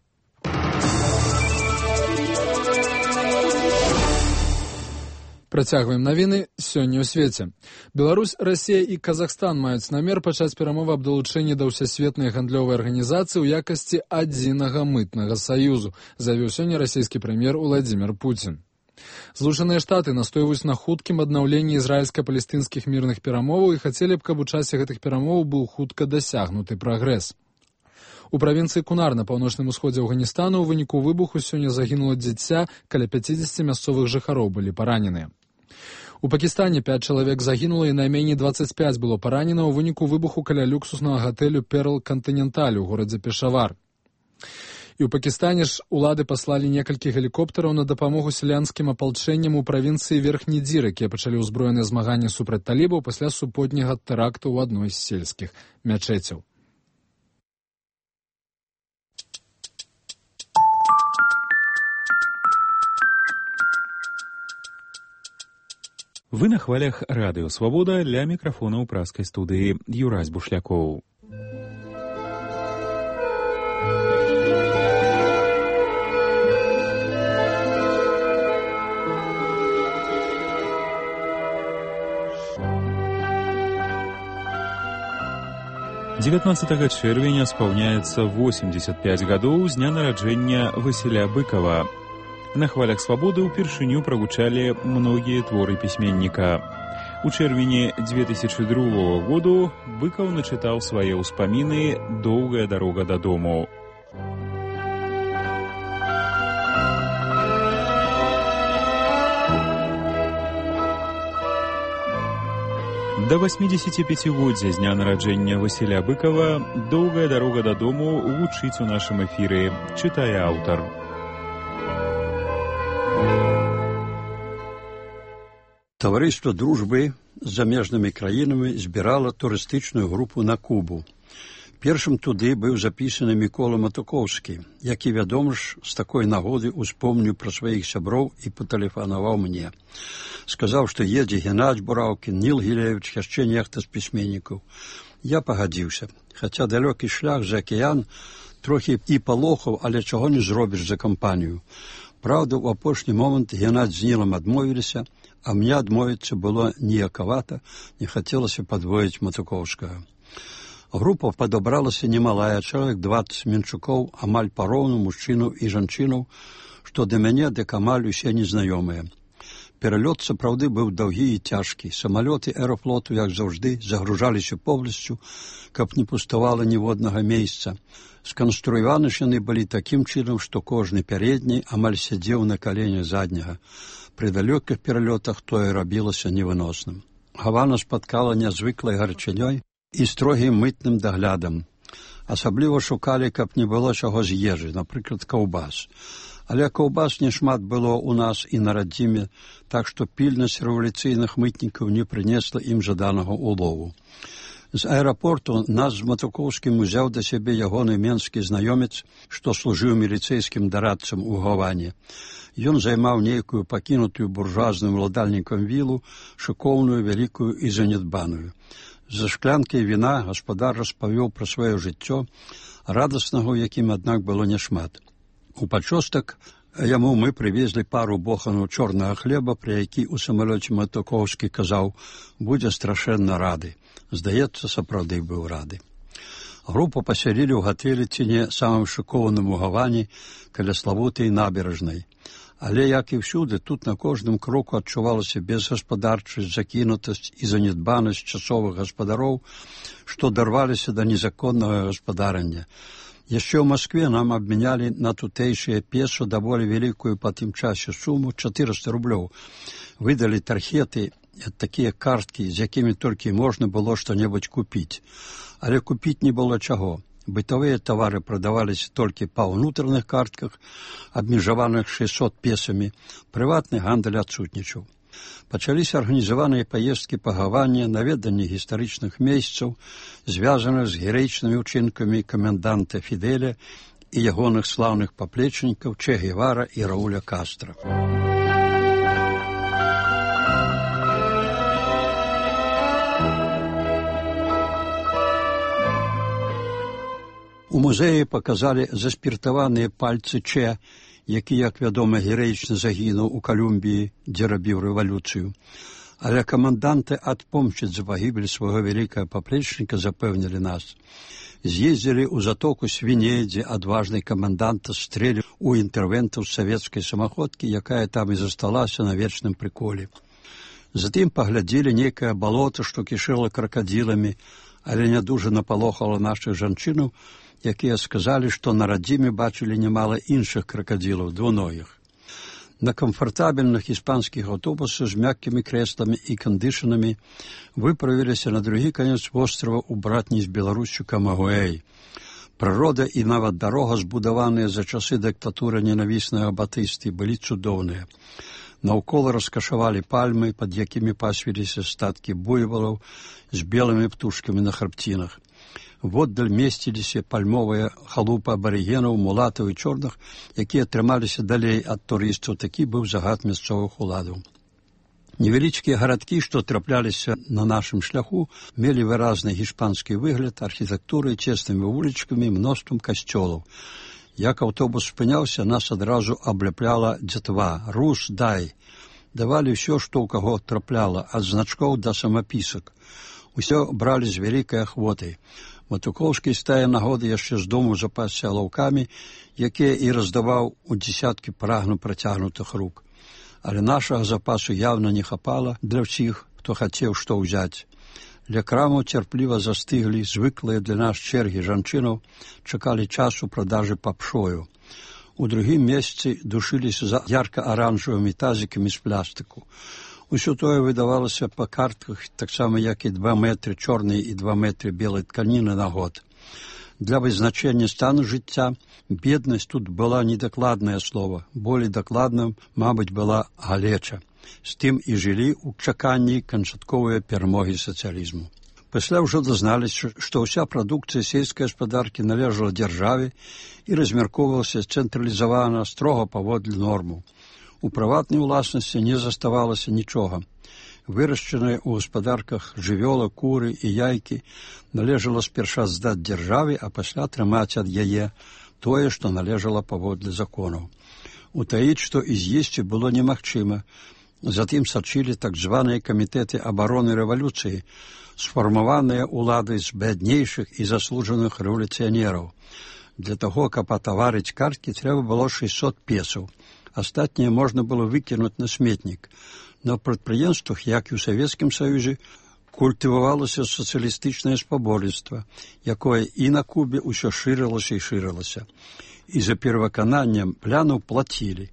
Працягваем навіны сёння ў свеце. Беларусь, Расія і Казахстан маюць намер пачаць перамовы аб далучэнні да ўсесветнай гандлёвай арганізацыі ў якасці адзінага мытнага саюзу, заявіў сёння расійскі прэм'ер Владзімір Пуцін. Злучаныя Штаты настойваюць на хуткім аднаўленні ізраільска-палестынскіх мірных перамоваў і хацелі б, каб у часе гэтых перамоваў быў хутка дасягнуты прагрэс. У правінцыі Кунар на паўночным усходзе Афганістану ў выніку выбуху сёння загінула дзіця, каля 50 мясцовых жыхароў былі параненыя. У Пакістане 5 чалавек загінула і найменей 25 было паранена ў выніку выбуху каля люксуснага гатэлю Перл Кантыненталь у горадзе Пешавар. І ў Пакістане ж улады паслалі некалькі гелікоптараў на дапамогу сялянскім апалчэнням у правінцыі Верхні Дзір, якія пачалі ўзброеныя змаганні супраць талібаў пасля супутняга тэракту ў адной з сельскіх мячэцяў. Вы на хвалях радыё «Свабода», ля мікрафона ў праскай студыі Юрась Бушлякоў. «19 чэрвеня спаўняецца 85 гадоў з дня нараджэння Васіля Быкова. На хвалях «Свабоды» упершыню прагучалі многія творы пісьменніка. У чэрвені 2002 году Быкаў начытаў свае ўспаміны «Доўгая дарога дадому». Да 85-годдзя з дня нараджэння Васіля Быкова «Доўгая дарога дадому» гучыць у нашым эфіры, чытае аўтар. Таварыства дружбы з замежнымі краінамі збірала турыстычную групу на Кубу. Першым туды быў запісаны Мікола Матукоўскі, які, вядома ж, з такой нагоды успомніў пра сваіх сяброў і патэлефанаваў мне. Сказаў, што едзе Геннадзь Бураўкін, Ніл Гілевіч, яшчэ нехта з пісьменнікаў. Я пагадзіўся, хаця далёкі шлях за акіян трохі і палохаў, але чаго не зробіш за кампанію. Праўда, у апошні момант Геннадзь з Нілам адмовіліся, а мне адмовіцца было ніякавата, не хацелася падвоіць Матукоўскага. Група падабралася немалая, чалавек 20 менчукоў, амаль пароўну мужчынаў і жанчынаў, што да мяне, дык амаль усе незнаёмыя. Пералёт сапраўды быў даўгі і цяжкі. Самалёты аэрафлоту, як заўжды, загружаліся поўнасцю, каб не пуставала ніводнага месца. Сканструяваны ж яны былі такім чынам, што кожны пярэдні амаль сядзеў на каленях задняга. Пры далёкіх пералётах тое рабілася невыносным. Гавана спаткала нязвыклай гарачынёй і строгім мытным даглядам. Асабліва шукалі, каб не было чаго з ежы, напрыклад, каўбас. Але каўбас нешмат было ў нас і на радзіме, так што пільнасць рэвалюцыйных мытнікаў не прынесла ім жаданага улову. З аэрапорту нас з Матукоўскім узяў да сябе ягоны менскі знаёмец, што служыў міліцэйскім дарадцам у Гаване. Ён займаў нейкую пакінутую буржуазным уладальнікам вілу, шыкоўную, вялікую і занядбаную. За шклянкай віна гаспадар распавёў пра сваё жыццё, радаснага, у якім, аднак, было няшмат. У пачостак яму мы прывезлі пару боханаў чорнага хлеба, пра які ў самалёце Матукоўскі казаў, будзе страшэнна рады. Здаецца, сапраўды быў рады. Групу пасялілі ў гатэлі ці не самым шыкованым у Гаване, каля славутай набярэжнай. Але, як і ўсюды, тут на кожным кроку адчувалася безгаспадарчасць, закінутасць і занядбанасць часовых гаспадароў, што дарваліся да незаконнага гаспадарання. Яшчэ ў Маскве нам абмянялі на тутэйшыя песо даволі вялікую па тым часе суму 400 рублёў. Выдалі тархеты, такія карткі, з якімі толькі можна было што-небудзь купіць. Але купіць не было чаго. Бытавыя тавары прадаваліся толькі па ўнутраных картках, абмежаваных 600 песамі. Прыватны гандаль адсутнічаў. Пачаліся арганізаваныя паездкі па Гаване, наведанне гістарычных месцаў, звязаных з гераічнымі ўчынкамі каменданта Фідэля і ягоных слаўных паплечнікаў Че Гевара і Рауля Кастра. У музеі паказалі заспіртаваныя пальцы Че, які, як вядома, гераічна загінуў у Калумбіі, дзе рабіў рэвалюцыю. Але каманданты адпомсціць за пагібель свайго вялікага паплечніка запэўнілі нас. З'ездзілі ў затоку Свіней, дзе адважны камандант стрэліў у інтэрвентаў з савецкай самаходкі, якая там і засталася на вечным прыколе. Затым паглядзелі нейкае балота, што кішэла кракадзіламі, але не дужа напалохала нашых жанчынаў, якія сказалі, што на радзіме бачылі нямала іншых кракадзілаў, двуногіх. На камфартабельных іспанскіх аўтобусах з мяккімі крэсламі і кандышанамі выправіліся на другі канец вострава ў братні з Беларусю Камагуэй. Прырода і нават дарога, збудаваныя за часы дыктатуры ненавіснага Батысты, былі цудоўныя. Наўкола раскашавалі пальмы, пад якімі пасвіліся статкі буйвалаў з белымі птушкамі на храбцінах. Воддаль месціліся пальмовыя халупы абарыгенаў, мулатаў і чорных, якія трымаліся далей ад турыстаў. Такі быў загад мясцовых уладаў. Невялічкія гарадкі, што трапляліся на нашым шляху, мелі выразны гішпанскі выгляд, архітэктурай, цеснымі вулічкамі, мноствам касцёлаў. Як аўтобус спыняўся, нас адразу абляпляла дзятва «Рус, дай». Давалі ўсё, што ў каго трапляла, ад значкоў да самапісак. Усё бралі з вялікай ахвотай. Матукоўскі з тае нагоды яшчэ з дому запасся лаўкамі, якія і раздаваў у дзесяткі прагну працягнутых рук. Але нашага запасу явна не хапала для ўсіх, хто хацеў што ўзяць. Ля крамаў цярпліва застыглі звыклыя для нас чэргі жанчынаў, чакалі часу продажы папшою. У другім месцы душыліся за ярка-аранжавымі тазікамі з плястыку. Усё тое выдавалася па картках, таксама як і 2 метры чорнай і 2 метры белай тканіны на год. Для вызначэння стану жыцця беднасць тут была недакладнае слова, болей дакладным, мабыць, была галеча. З тым і жылі ў чаканні канчатковай перамогі сацыялізму. Пасля ўжо дазналіся, што ўся прадукцыя сельскай гаспадаркі належала дзяржаве і размяркоўвалася цэнтралізавана, строга паводле нормаў. У прыватнай уласнасці не заставалася нічога. Вырашчаныя ў гаспадарках жывёла, куры і яйкі належала спярша здаць дзяржаве, а пасля атрымаць ад яе тое, што належала паводле законаў. Утаіць, што і з'есці было немагчыма. Затым сачылі так званыя камітэты абароны рэвалюцыі, сфармаваныя ўладай з бяднейшых і заслужаных рэвалюцыянераў. Для таго, каб атаварыць карткі, трэба было 600 песаў. Астатняе можна было выкінуць на сметнік. На прадпрыемствах, як і ў Савецкім Саюзе, культывавалася сацыялістычнае спаборніцтва, якое і на Кубе ўсё шырылася і шырылася. І за перавыкананнем планаў плацілі.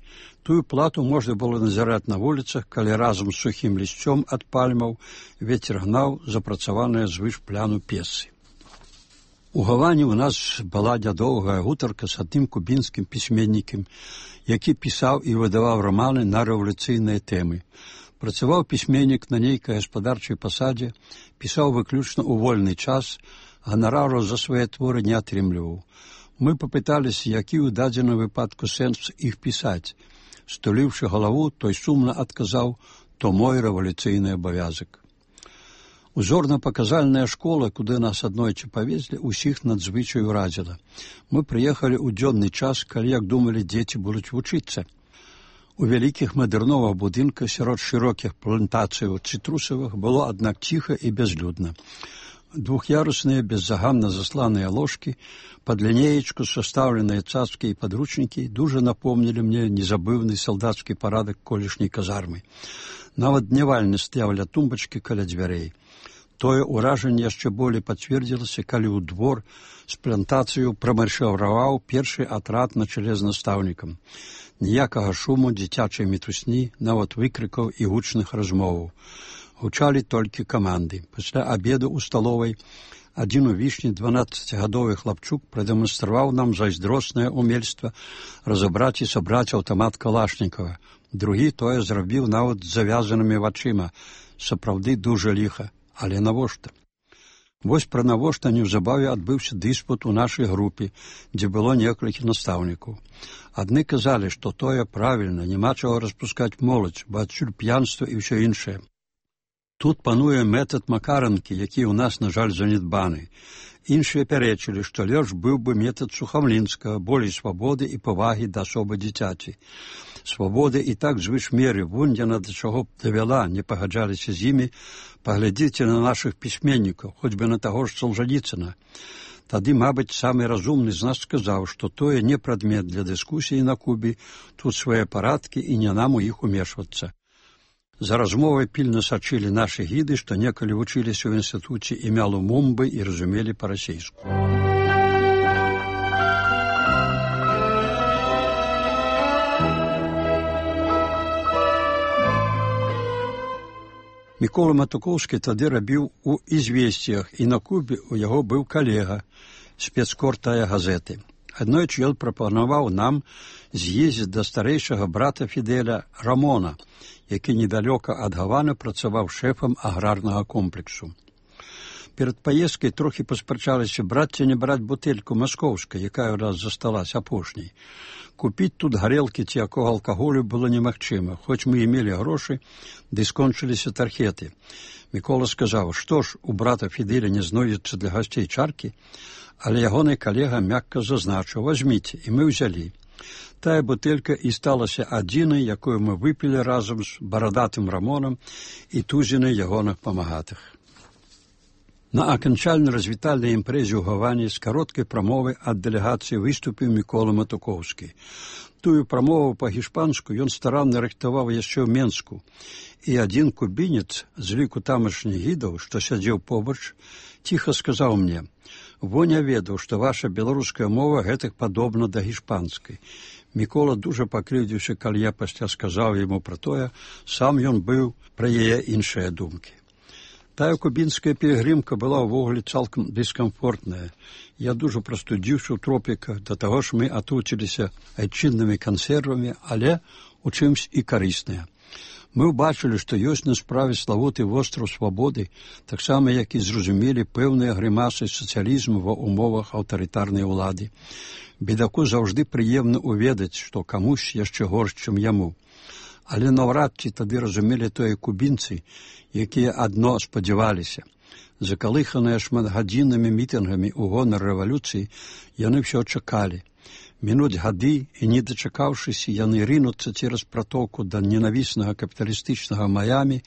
Тую плату можна было назіраць на вуліцах, калі разам з сухім лісцём ад пальмаў вецер гнаў запрацаваныя звыш пляну песы. У Гаване ў нас была нядоўгая гутарка з адным кубінскім пісьменнікам, які пісаў і выдаваў раманы на рэвалюцыйныя тэмы. Працаваў пісьменнік на нейкай гаспадарчай пасадзе, пісаў выключна ў вольны час, ганарару за свае творы не атрымліваў. Мы папыталіся, які ў дадзеным выпадку сэнс іх пісаць. Стуліўшы галаву, той сумна адказаў, то мой рэвалюцыйны абавязак. Узорна-паказальная школа, куды нас аднойчы павезлі, усіх надзвычай уразіла. Мы прыехалі ў дзённы час, калі, як думалі, дзеці будуць вучыцца. У вялікіх мадэрновых будынках сярод шырокіх плантацыяў цытрусавых было, аднак, ціха і бязлюдна. Двух'ярусныя, беззаганна засланыя ложкі, пад лінеечку састаўленыя цацкі і падручнікі дужа напомнілі мне незабыўны салдацкі парадак колішняй казармы. Нават днявальны стаяў ля тумбачкі каля дзвярэй. Тое ўражанне яшчэ болей пацвердзілася, калі ў двор з плантацыю прамаршыраваў першы атрад на чале з настаўнікам. Ніякага шуму, дзіцячай мітусні, нават выкрыкаў і гучных размоваў. Гучалі толькі каманды. Пасля абеду ў сталовай адзін у вішні 12-гадовы хлапчук прадэманстраваў нам зайздроснае ўмельства разабраць і сабраць аўтамат Калашнікава. Другі тое зрабіў нават з завязанымі вачыма. Сапраўды дужа ліха. Але навошта? Вось пра навошта неўзабаве адбыўся дыспут у нашай групе, дзе было некалькі настаўнікаў. Адны казалі, што тое правільна, няма чаго распускаць моладзь, бо адсюль п'янства і ўсё іншае. Тут пануе метад макаранкі, які ў нас, на жаль, занядбаны. Іншыя пярэчылі, што лепш быў бы метад Сухамлінскага, болей свабоды і павагі да асобы дзіцяці. Свабоды і так звыш меры, вунь яна да чаго б давяла, не пагаджаліся з імі, паглядзіце на нашых пісьменнікаў, хоць бы на таго ж Солжаніцына. Тады, мабыць, самы разумны з нас сказаў, што тое не прадмет для дыскусіі на Кубе, тут свае парадкі і не нам у іх умешвацца. За размовай пільна сачылі нашы гіды, што некалі вучыліся ў інстытуце імя Лумумбы і разумелі па-расейску. Мікола Матукоўскі тады рабіў у «Ізвесціях», і на Кубе у яго быў калега, спецкор тая газеты. Аднойчы ён прапанаваў нам з'ездзіць да старэйшага брата Фідэля Рамона, які недалёка ад Гаваны працаваў шэфам аграрнага комплексу. Перад паездкай трохі паспрачаліся, браць ці не браць бутэльку маскоўскай, якая ў нас засталась апошняй. Купіць тут гарэлкі ці якога алкаголю было немагчыма, хоць мы і мелі грошы, ды скончыліся тархеты. Мікола сказаў, што ж, у брата Фідэля не знойдзецца для гасцей чаркі, але ягоны калега мякка зазначыў, возьміце, і мы ўзялі. Тая бутэлька і сталася адзінай, якую мы выпілі разам з барадатым Рамонам і тузінай ягоных памагатых. На аканчальнай развітальнай імпрэзе ў Гаване з кароткай прамовай ад дэлегацыі выступіў Мікола Матукоўскі. Тую прамову па-гішпанску ён старанна рыхтаваў яшчэ ў Менску, і адзін кубінец з ліку тамашніх гідаў, што сядзеў побач, ціха сказаў мне: «Во не ведаў, што ваша беларуская мова гэтак падобна да гішпанскай». Мікола дужа пакрыўдзіўся, калі я пасля сказаў яму пра тое, сам ён быў пра яе іншыя думкі. Тая кубінская пілігрымка была ўвогуле цалкам дыскамфортная. Я дужа прастудзіўся ў тропіках, да таго ж мы атуціліся айчыннымі кансервамі, але у чымсь і карысныя. Мы ўбачылі, што ёсць на справе славуты востраў свабоды, таксама як і зразумелі пэўныя грымасы сацыялізму ва ўмовах аўтарытарнай улады. Бедаку заўжды прыемна ўведаць, што камусь яшчэ горш, чым яму. Але наўрад ці тады разумелі тое кубінцы, якія адно спадзяваліся. Закалыханыя шматгадзіннымі мітынгамі ў гонар рэвалюцыі, яны ўсё чакалі. Мінуць гады, і не дачакаўшыся, яны рынуцца цераз пратоку да ненавіснага капіталістычнага Маямі,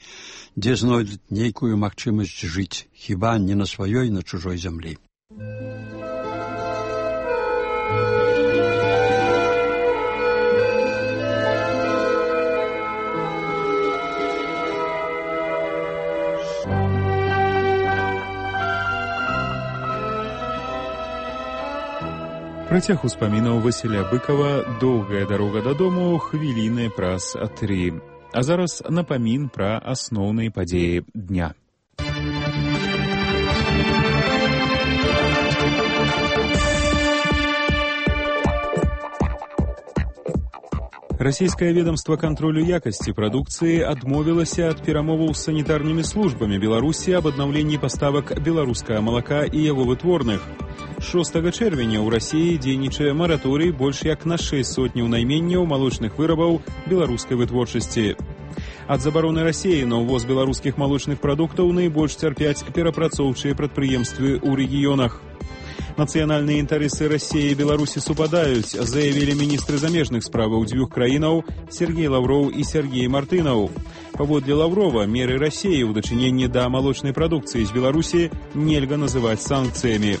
дзе знойдуць нейкую магчымасць жыць, хіба не на сваёй, на чужой зямлі. Працяг успамінаў Васіля Быкава «Доўгая дарога дадому» хвіліны праз 3. А зараз напамін пра асноўныя падзеі дня. Расійскае ведомство кантролю якасці прадукцыі адмовілася ад перамоваў з санітарнымі службамі Беларусі аб аднаўленні паставак беларускага малака і яго вытворных. 6 чэрвеня ў Расіі дзейнічае мараторый больш як на 6 сотняў найменняў малочных вырабаў беларускай вытворчасці. Ад забароны Расіі на ўвоз беларускіх малочных прадуктаў найбольш цярпяць перапрацоўчыя прадпрыемствы ў рэгіёнах. Нацыянальныя інтарэсы Расіі і Беларусі супадаюць, заявілі міністры замежных справаў дзвюх краінаў Сергей Лавроў і Сергей Мартынаў. Паводле Лаврова, меры Расіі ў дачыненні да малочнай прадукцыі з Беларусі нельга называць санкцыямі.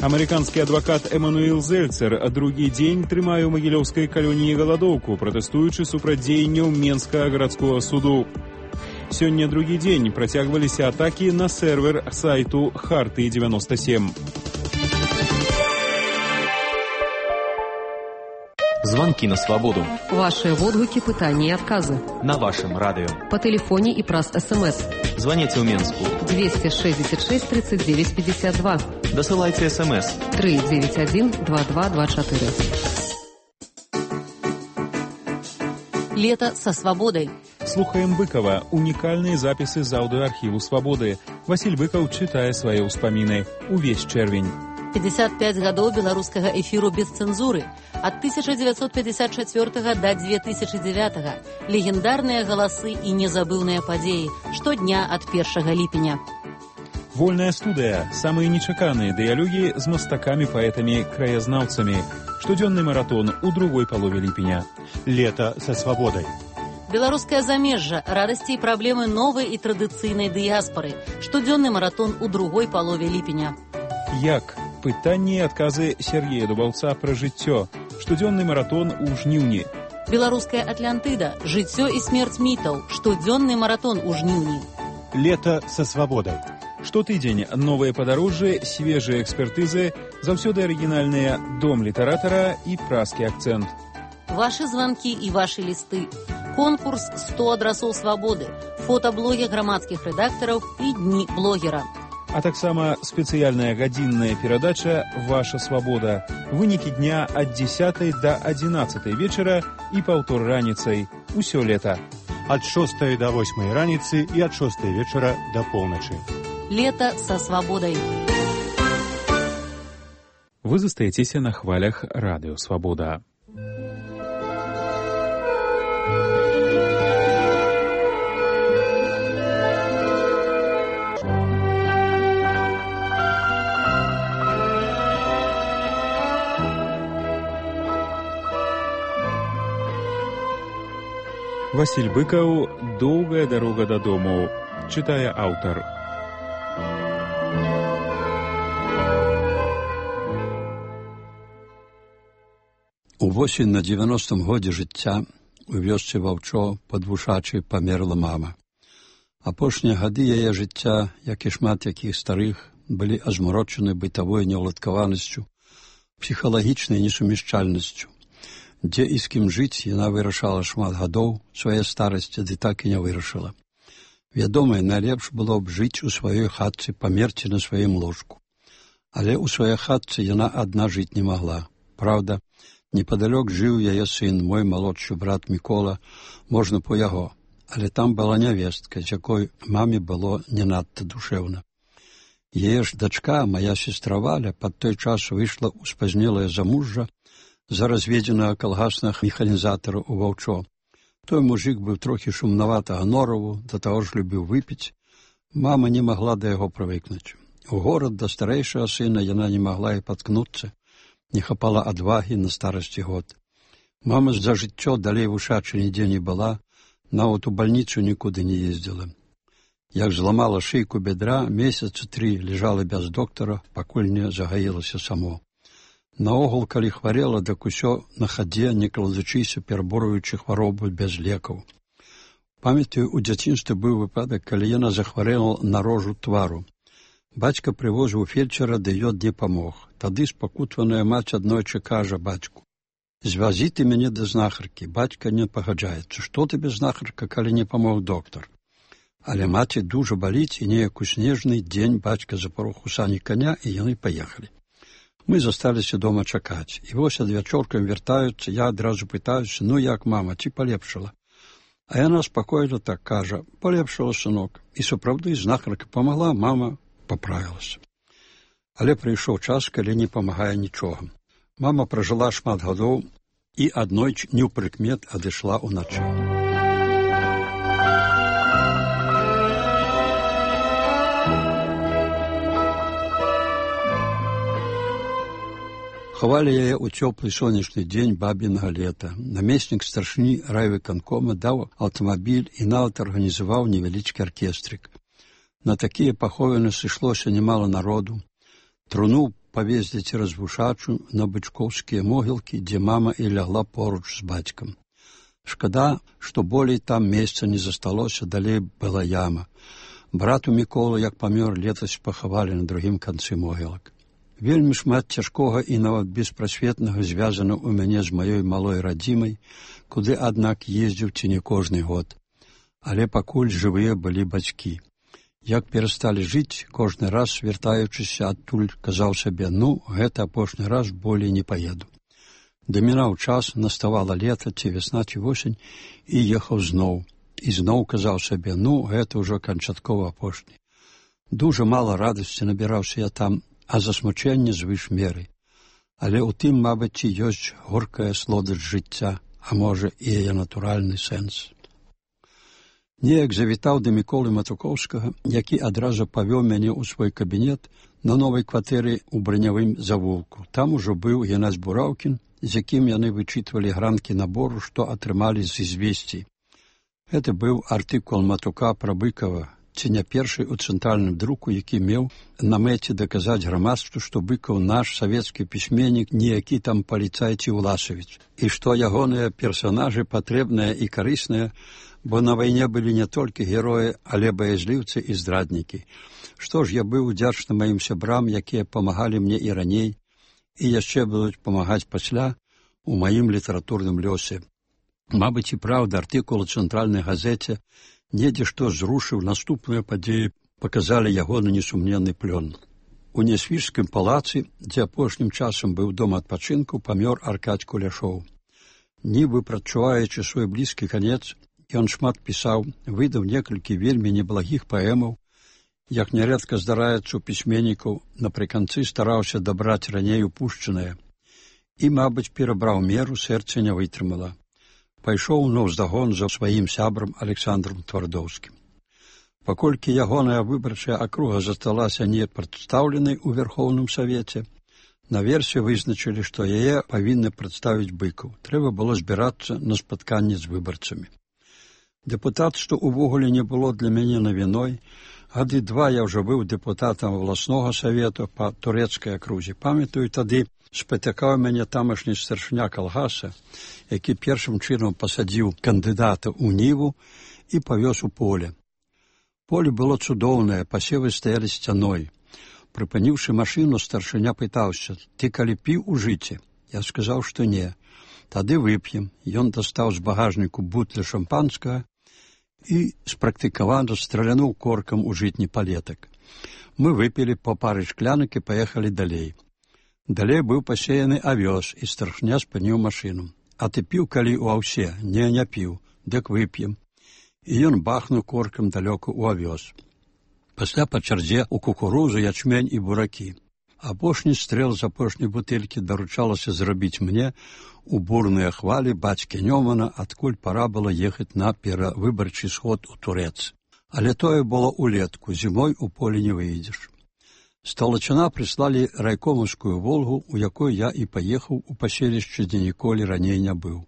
Амерыканскі адвакат Эмануэл Зельцер другі дзень трымае ў магілёўскай калоніі галадоўку, пратэстуючы супраць дзеянняў Менскага гарадскога суду. Сёння другі дзень працягваліся атакі на сервер сайту Харты-97. Звонки на свободу. Ваши отгуки, пытания и отказы. На вашем радио. По телефоне и праз СМС. Звоните в Минску. 266 39 52. Досылайте СМС. 391 2224. Лето со свободой. Слухаем Быкова. Уникальные записи з аудиоархиву «Свободы». Василь Быков читае свои успомины. Увесь чэрвень. 55 гадоў беларускага эфіру без цэнзуры. Ад 1954 да 2009. Легендарныя галасы і незабыўныя падзеі. Штодня ад 1 ліпеня. Вольная студыя. Самыя нечаканыя дыялогі з мастакамі, паэтамі, краязнаўцамі. Штодзённы маратон у другой палове ліпеня. Лето со свободой. Беларускае замежжа. Радасці і праблемы новай і традыцыйнай дыяспары. Штодзённы маратон у другой палове ліпеня. Як? Пытанні і адказы Сергея Дубаўца пра жыццё. Штодзённы маратон у жніўні. Беларуская Атлантыда. Жыццё і смерць мітаў. Штодзённы маратон у жніўні. Лето со свободой. Штотыдзень новыя падарожжы, свежыя экспертызы, заўсёды арыгінальныя дом літаратара і празкі акцэнт. Вашы званкі і вашы лісты. Конкурс 100 адрасоў свабоды. Фотаблогі грамадскіх рэдактараў і дні блогера. А таксама спецыяльная гадзінная перадача «Ваша свабода». Вынікі дня ад 10 да 11 вечара і паўтор раніцай. Усё лета. Ад 6 до 8 раніцы і ад 6 вечара до полночи. Лето со свободой. Вы застаецеся на хвалях радыё «Свабода». Василь Быков «Доўгая дарога дадому». Читае аўтар. Увосень на 90-м годзе жыцця у вёсцы Ваўчо пад Вушачай памерла мама. Апошнія гады яе жыцця, як і шмат якіх старых, былі азмарочаны бытавой неўладкаванасцю, псіхалагічнай несумяшчальнасцю. Дзе і з кім жыць, яна вырашала шмат гадоў, свае старасці ды так і не вырашыла. Вядома, найлепш было б жыць у сваёй хатцы, памерці на сваім ложку. Але ў сваёй хатцы яна адна жыць не магла. Праўда, непадалёк жыў яе сын, мой малодшы брат Мікола, можна по яго. але там была нявестка, з якой маме было не надта душэўна. Яе ж дачка, моя сестра Валя, пад той час выйшла ў спазнелае замужжа за разведзенага калгаснага механізатара ў Ваўчо. Той мужик быў трохі шумнаватага нораву, да таго ж любіў выпіць. Мама не магла да яго прывыкнуць. У горад да старэйшага сына яна не магла і паткнуцца, не хапала адвагі на старасці год. Мама за жыццё далей вушачы нідзе не была, нават у бальніцу нікуды не ездзіла. Як зламала шыйку бедра, месяцы 3 лежала без доктара, пакуль не загаілася само. Наогул, калі хварела, дак усё на хадзе, не кладучыся, пераборуючы хваробу без лекаў. Памятаю, у дзяцінстве быў выпадак, калі яна захварэла на рожу твару. Бацька прывозіў фельчара, ды ён не памог. Тады спакутваная маці аднойчы кажа бацьку: «Звязі ты мяне да знахаркі». Бацька не пагаджаецца: «Што табе знахарка, калі не памог доктар?» Але маці дужа баліць, і неяк у снежны дзень бацька запарох у сані коня, і яны паехалі. Мы засталіся дома чакаць, і вось адвячоркам вяртаюцца, я адразу пытаюся: «Ну як, мама, ці палепшала?» А яна спакойна так кажа: «Палепшала, сынок». І сапраўды знахарка памагла, мама паправілася. Але прыйшоў час, калі не памагае нічога. Мама пражыла шмат гадоў і аднойчы неўпрыкмет адышла ўначы. Хавалі яе ў цёплы сонечны дзень бабінага лета. Намеснік старшыні райвыканкома даў аўтамабіль і нават арганізаваў невялічкі аркестрык. На такія паховіны сышлося немало народу. Труну павезлі цераз Вушачу на бычкоўскія могілкі, дзе мама і лягла поруч з бацькам. Шкада, што болей там месца не засталося, далей была яма. Брату Міколу, як памёр, летась пахавалі на другім канцы могілак. Вельмі шмат цяжкога і нават беспрасветнага звязана ў мяне з маёй малой радзімай, куды, аднак, ездзіў ці не кожны год. Але пакуль жывыя былі бацькі. Як перасталі жыць, кожны раз, вяртаючыся адтуль, казаў сабе: «Ну, гэта апошні раз, болей не паеду». Дамінаў час, наставала лета, ці вясна, ці восень, і ехаў зноў. І зноў казаў сабе: «Ну, гэта ўжо канчаткова апошні». Дужа мала радасці набіраўся я там, а засмучэнне звыш меры. Але ў тым, мабыць, ёсць горкая слодасць жыцця, а можа, і яе натуральны сэнс. Неяк завітаў да Міколы Матукоўскага, які адразу павёў мяне ў свой кабінет на новай кватэры ў бранявым завулку. Там ужо быў Геннадзь Бураўкін, з якім яны вычытвалі гранкі набору, што атрымалі з извесцій. Гэта быў артыкул Матука пра Быкова, ці не першы ў цэнтральным друку, які меў на мэце даказаць грамадству, што Быкаў наш савецкі пісьменнік, не які там паліцай ці Уласавіч, і што ягоныя персанажы патрэбныя і карысныя, бо на вайне былі не толькі героі, але баязліўцы і здраднікі. Што ж, я быў удзячны маім сябрам, якія памагалі мне і раней, і яшчэ будуць памагаць пасля у маім літаратурным лёсе. Мабыць, і праўда, артыкул у цэнтральнай газеце недзе што зрушыў наступныя падзеі, паказалі ягоны несумненны плён. У Нясвіжскім палацы, дзе апошнім часам быў дом адпачынку, памёр Аркадзь Куляшоў. Нібы прадчуваючы свой блізкі канец, ён шмат пісаў, выдаў некалькі вельмі неблагіх паэмаў, як нярэдка здараецца ў пісьменнікаў, напрыканцы стараўся дабраць раней упушчанае. І, мабыць, перабраў меру, сэрца не вытрымала. Пайшоў наўздагон за сваім сябрам Александром Твардоўскім. Паколькі ягоная выбарчая акруга засталася не прадстаўленай у Верхоўным Савеце, наверсе вызначылі, што яе павінны прадставіць Быкаў. Трэба было збірацца на спатканне з выбарцамі. Дэпутатства увогуле не было для мяне навіной. Гады 2 я ўжо быў дэпутатам абласнога савету па турэцкай акрузе. Памятаю, тады спатыкаў мяне тамашні старшыня калгаса, які першым чынам пасадзіў кандыдата ў ніву і павёз у поле. Поле было цудоўнае, пасевы стаялі сцяной. Прыпыніўшы машыну, старшыня пытаўся: «Ты калі піў у жыце?» Я сказаў, што не. «Тады вып'ем». Ён дастаў з багажніку бутля шампанскага і спрактыкавана стралянуў коркам у жытні палетак. Мы выпілі па пары шклянак і паехалі далей. Далей быў пасеяны авёс, і старшыня спыніў машыну. «А ты піў калі ў аўсе?» «Не, не піў». «Дык вып'ем». і ён бахнуў коркам далёка ў авёс. Пасля па чарзе ў кукурузу, ячмень і буракі. Апошні стрэл з апошняй бутэлькі даручалася зрабіць мне у бурныя хвалі бацькі Нёмана, адкуль пара было ехаць на перавыбарчы сход у Турэц. Але тое было улетку, зімой у поле не выйдзеш. З Талачына прыслалі райкомаўскую «Волгу», у якой я і паехаў у паселішча, дзе ніколі раней не быў.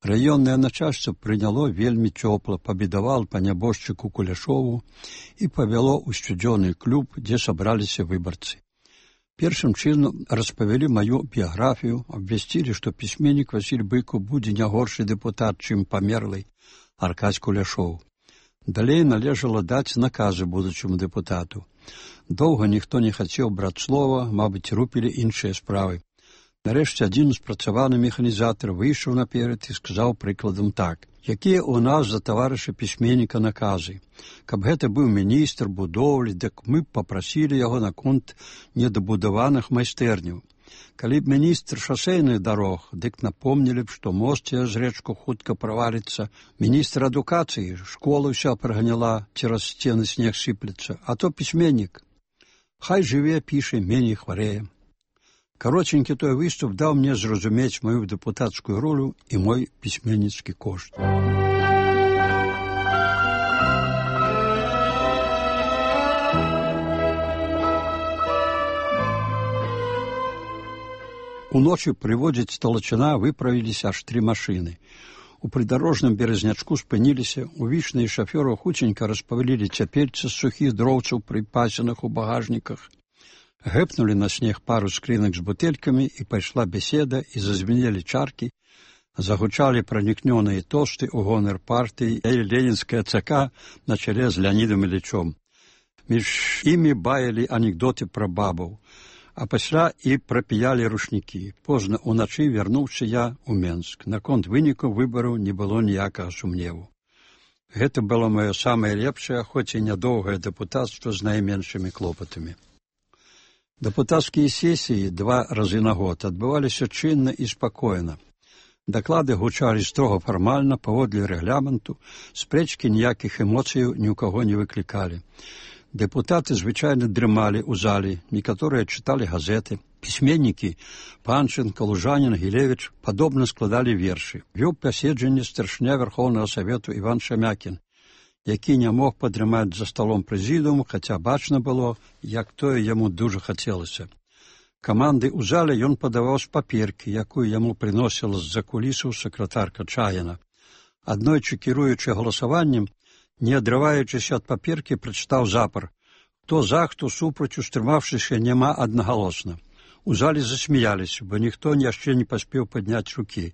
Раённае начальство прыняло вельмі цёпла, пабедавал па нябожчыку Куляшову і павяло ў сцюдзёны клуб, дзе сабраліся выбарцы. Першым чынам распавялі маю біяграфію, абвясцілі, што пісьменнік Васіль Быкаў будзе не горшы дэпутат, чым памерлы Аркадзь Куляшоў. Далей належала даць наказы будучаму дэпутату. Доўга ніхто не хацеў браць слова, мабыць, рупілі іншыя справы. Нарэшце адзін спрацаваны механізатар выйшаў наперад і сказаў прыкладам так: якія ў нас за таварыша пісьменніка наказы? Каб гэта быў міністр будоўлі, дык мы б папрасілі яго наконт недабудаваных майстэрняў. Калі б міністр шасейных дарог, дык напомнілі б, што мост цераз рэчку хутка праваліцца. Міністр адукацыі, школа ўся праганяла, цераз сцены снег сыплецца. А то пісьменнік. Хай жыве, піша, меней хварэе. Каротенькі той выступ даў мне зразумець маю дэпутацкую ролю і мой пісьменніцкі кошт. Уночы прыводзіць Талачына выправіліся аж 3 машыны. У прыдарожным беразнячку спыніліся, увічныя шафёры хутенька распавялілі цяпельцы з сухіх дроўцаў, прыпасеных у багажніках. Гэпнулі на снег пару скрынак з бутэлькамі, і пайшла беседа, і зазвенелі чаркі, загучалі пранікнёныя тосты ў гонар партыі і ленінская ЦК на чале з Леонідам Ілічом. Між імі баялі анекдоты пра бабаў, а пасля і прапіялі рушнікі. Позна ўначы вярнуўся я ў Менск. Наконт вынікаў выбараў не было ніякага сумневу. Гэта было маё самае лепшае, хоць і нядоўгае дэпутацтва з найменшымі клопатамі. Дэпутацкія сесіі 2 разы на год адбываліся чынна і спакойна. Даклады гучалі строга фармальна, паводле рэгламенту, спрэчкі ніякіх эмоцыяў ні ў каго не выклікалі. Дэпутаты звычайна дрымалі ў зале, некаторыя чыталі газеты. Пісьменнікі Панченка, Лужанін, Гілевіч падобна складалі вершы. Вёў паседжанне старшыня Верхоўнага Савету Іван Шамякін, які не мог падрымаць за сталом прэзідыуму, хаця бачна было, як тое яму дужа хацелася. Каманды ў зале ён падаваў з паперкі, якую яму прыносіла з-за кулісаў сакратарка Чаяна. Аднойчы, кіруючы галасаваннем, не адрываючыся ад паперкі, прачытаў запар: хто за, хто супраць, устрымаўшыся, няма аднагалосна. У зале засмяяліся, бо ніхто яшчэ не паспеў падняць рукі,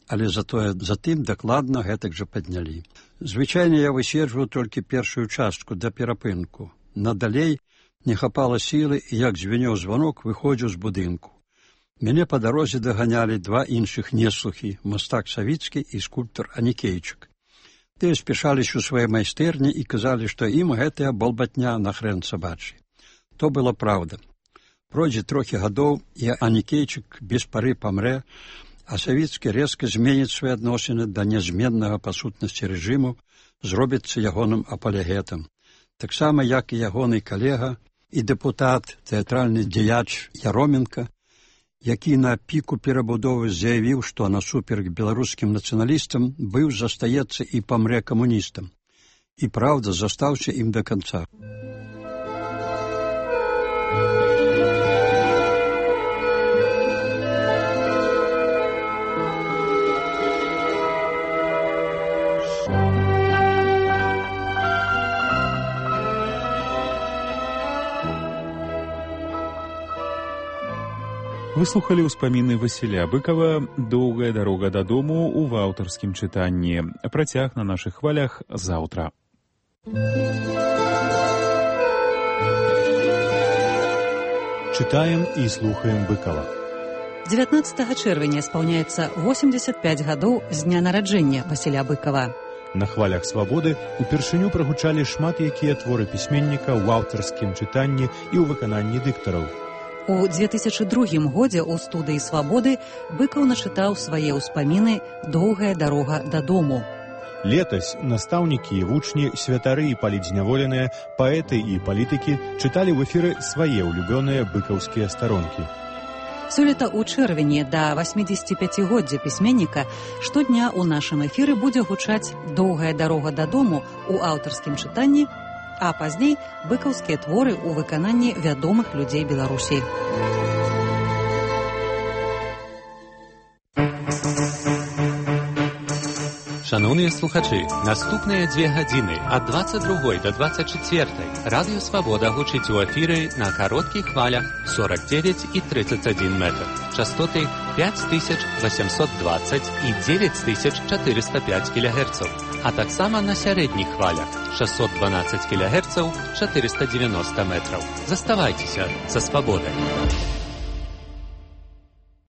але затым дакладна гэтак жа паднялі. Звычайна я выседжваў толькі першую частку да перапынку. Надалей не хапала сілы, і як звенеў званок, выходзіў з будынку. Мяне па дарозе даганялі 2 іншых неслухі, мастак Савіцкі і скульптар Анікейчык. Тыя спяшаліся ў свае майстэрні і казалі, што ім гэтая балбатня на хрэн сабачы. То была праўда. Пройдзе трохі гадоў, і Анікейчык без пары памрэ, а Савіцкі рэзка зменіць свае адносіны да нязменнага па сутнасці рэжыму, зробіцца ягоным апалегетам. Таксама, як і ягоны калега і дэпутат, тэатральны дзеяч Яроменка, які на піку перабудовы заявіў, што насуперак беларускім нацыяналістам быў, застаецца і памрэ камуністам. І праўда, застаўся ім да канца. Выслухалі ўспаміны Васіля Быкава «Доўгая дарога дадому» ў аўтарскім чытанні. Працяг на нашых хвалях заўтра. Чытаем і слухаем Быкава. 19 чэрвеня спаўняецца 85 гадоў з дня нараджэння Васіля Быкава. На хвалях свабоды упершыню прагучалі шмат якія творы пісьменніка ў аўтарскім чытанні і ў выкананні дыктараў. У 2002 годзе ў студыі «Свабоды» Быкаў начытаў свае ўспаміны «Доўгая дарога дадому». Летась настаўнікі і вучні, святары і палізняволеныя, паэты і палітыкі чыталі ў эфіры свае ўлюбёныя быкаўскія старонкі. Сёлета ў чэрвені да 85-годдзя пісьменніка штодня ў нашым эфіры будзе гучаць «Доўгая дарога дадому» у аўтарскім чытанні, а пазней быкаўскія творы ў выкананні вядомых людзей Беларусі. Шановні слухачі, наступныя 2 гадзіны ад 22 до 24 Радыё Свабода гучыць у эфіры на кароткіх хвалях 49 і 31 метр, частоты 5820 і 9405 кГц, а таксама на сярэдніх хвалях 612 кГц, 490 метраў. Заставайцеся са Свабодай.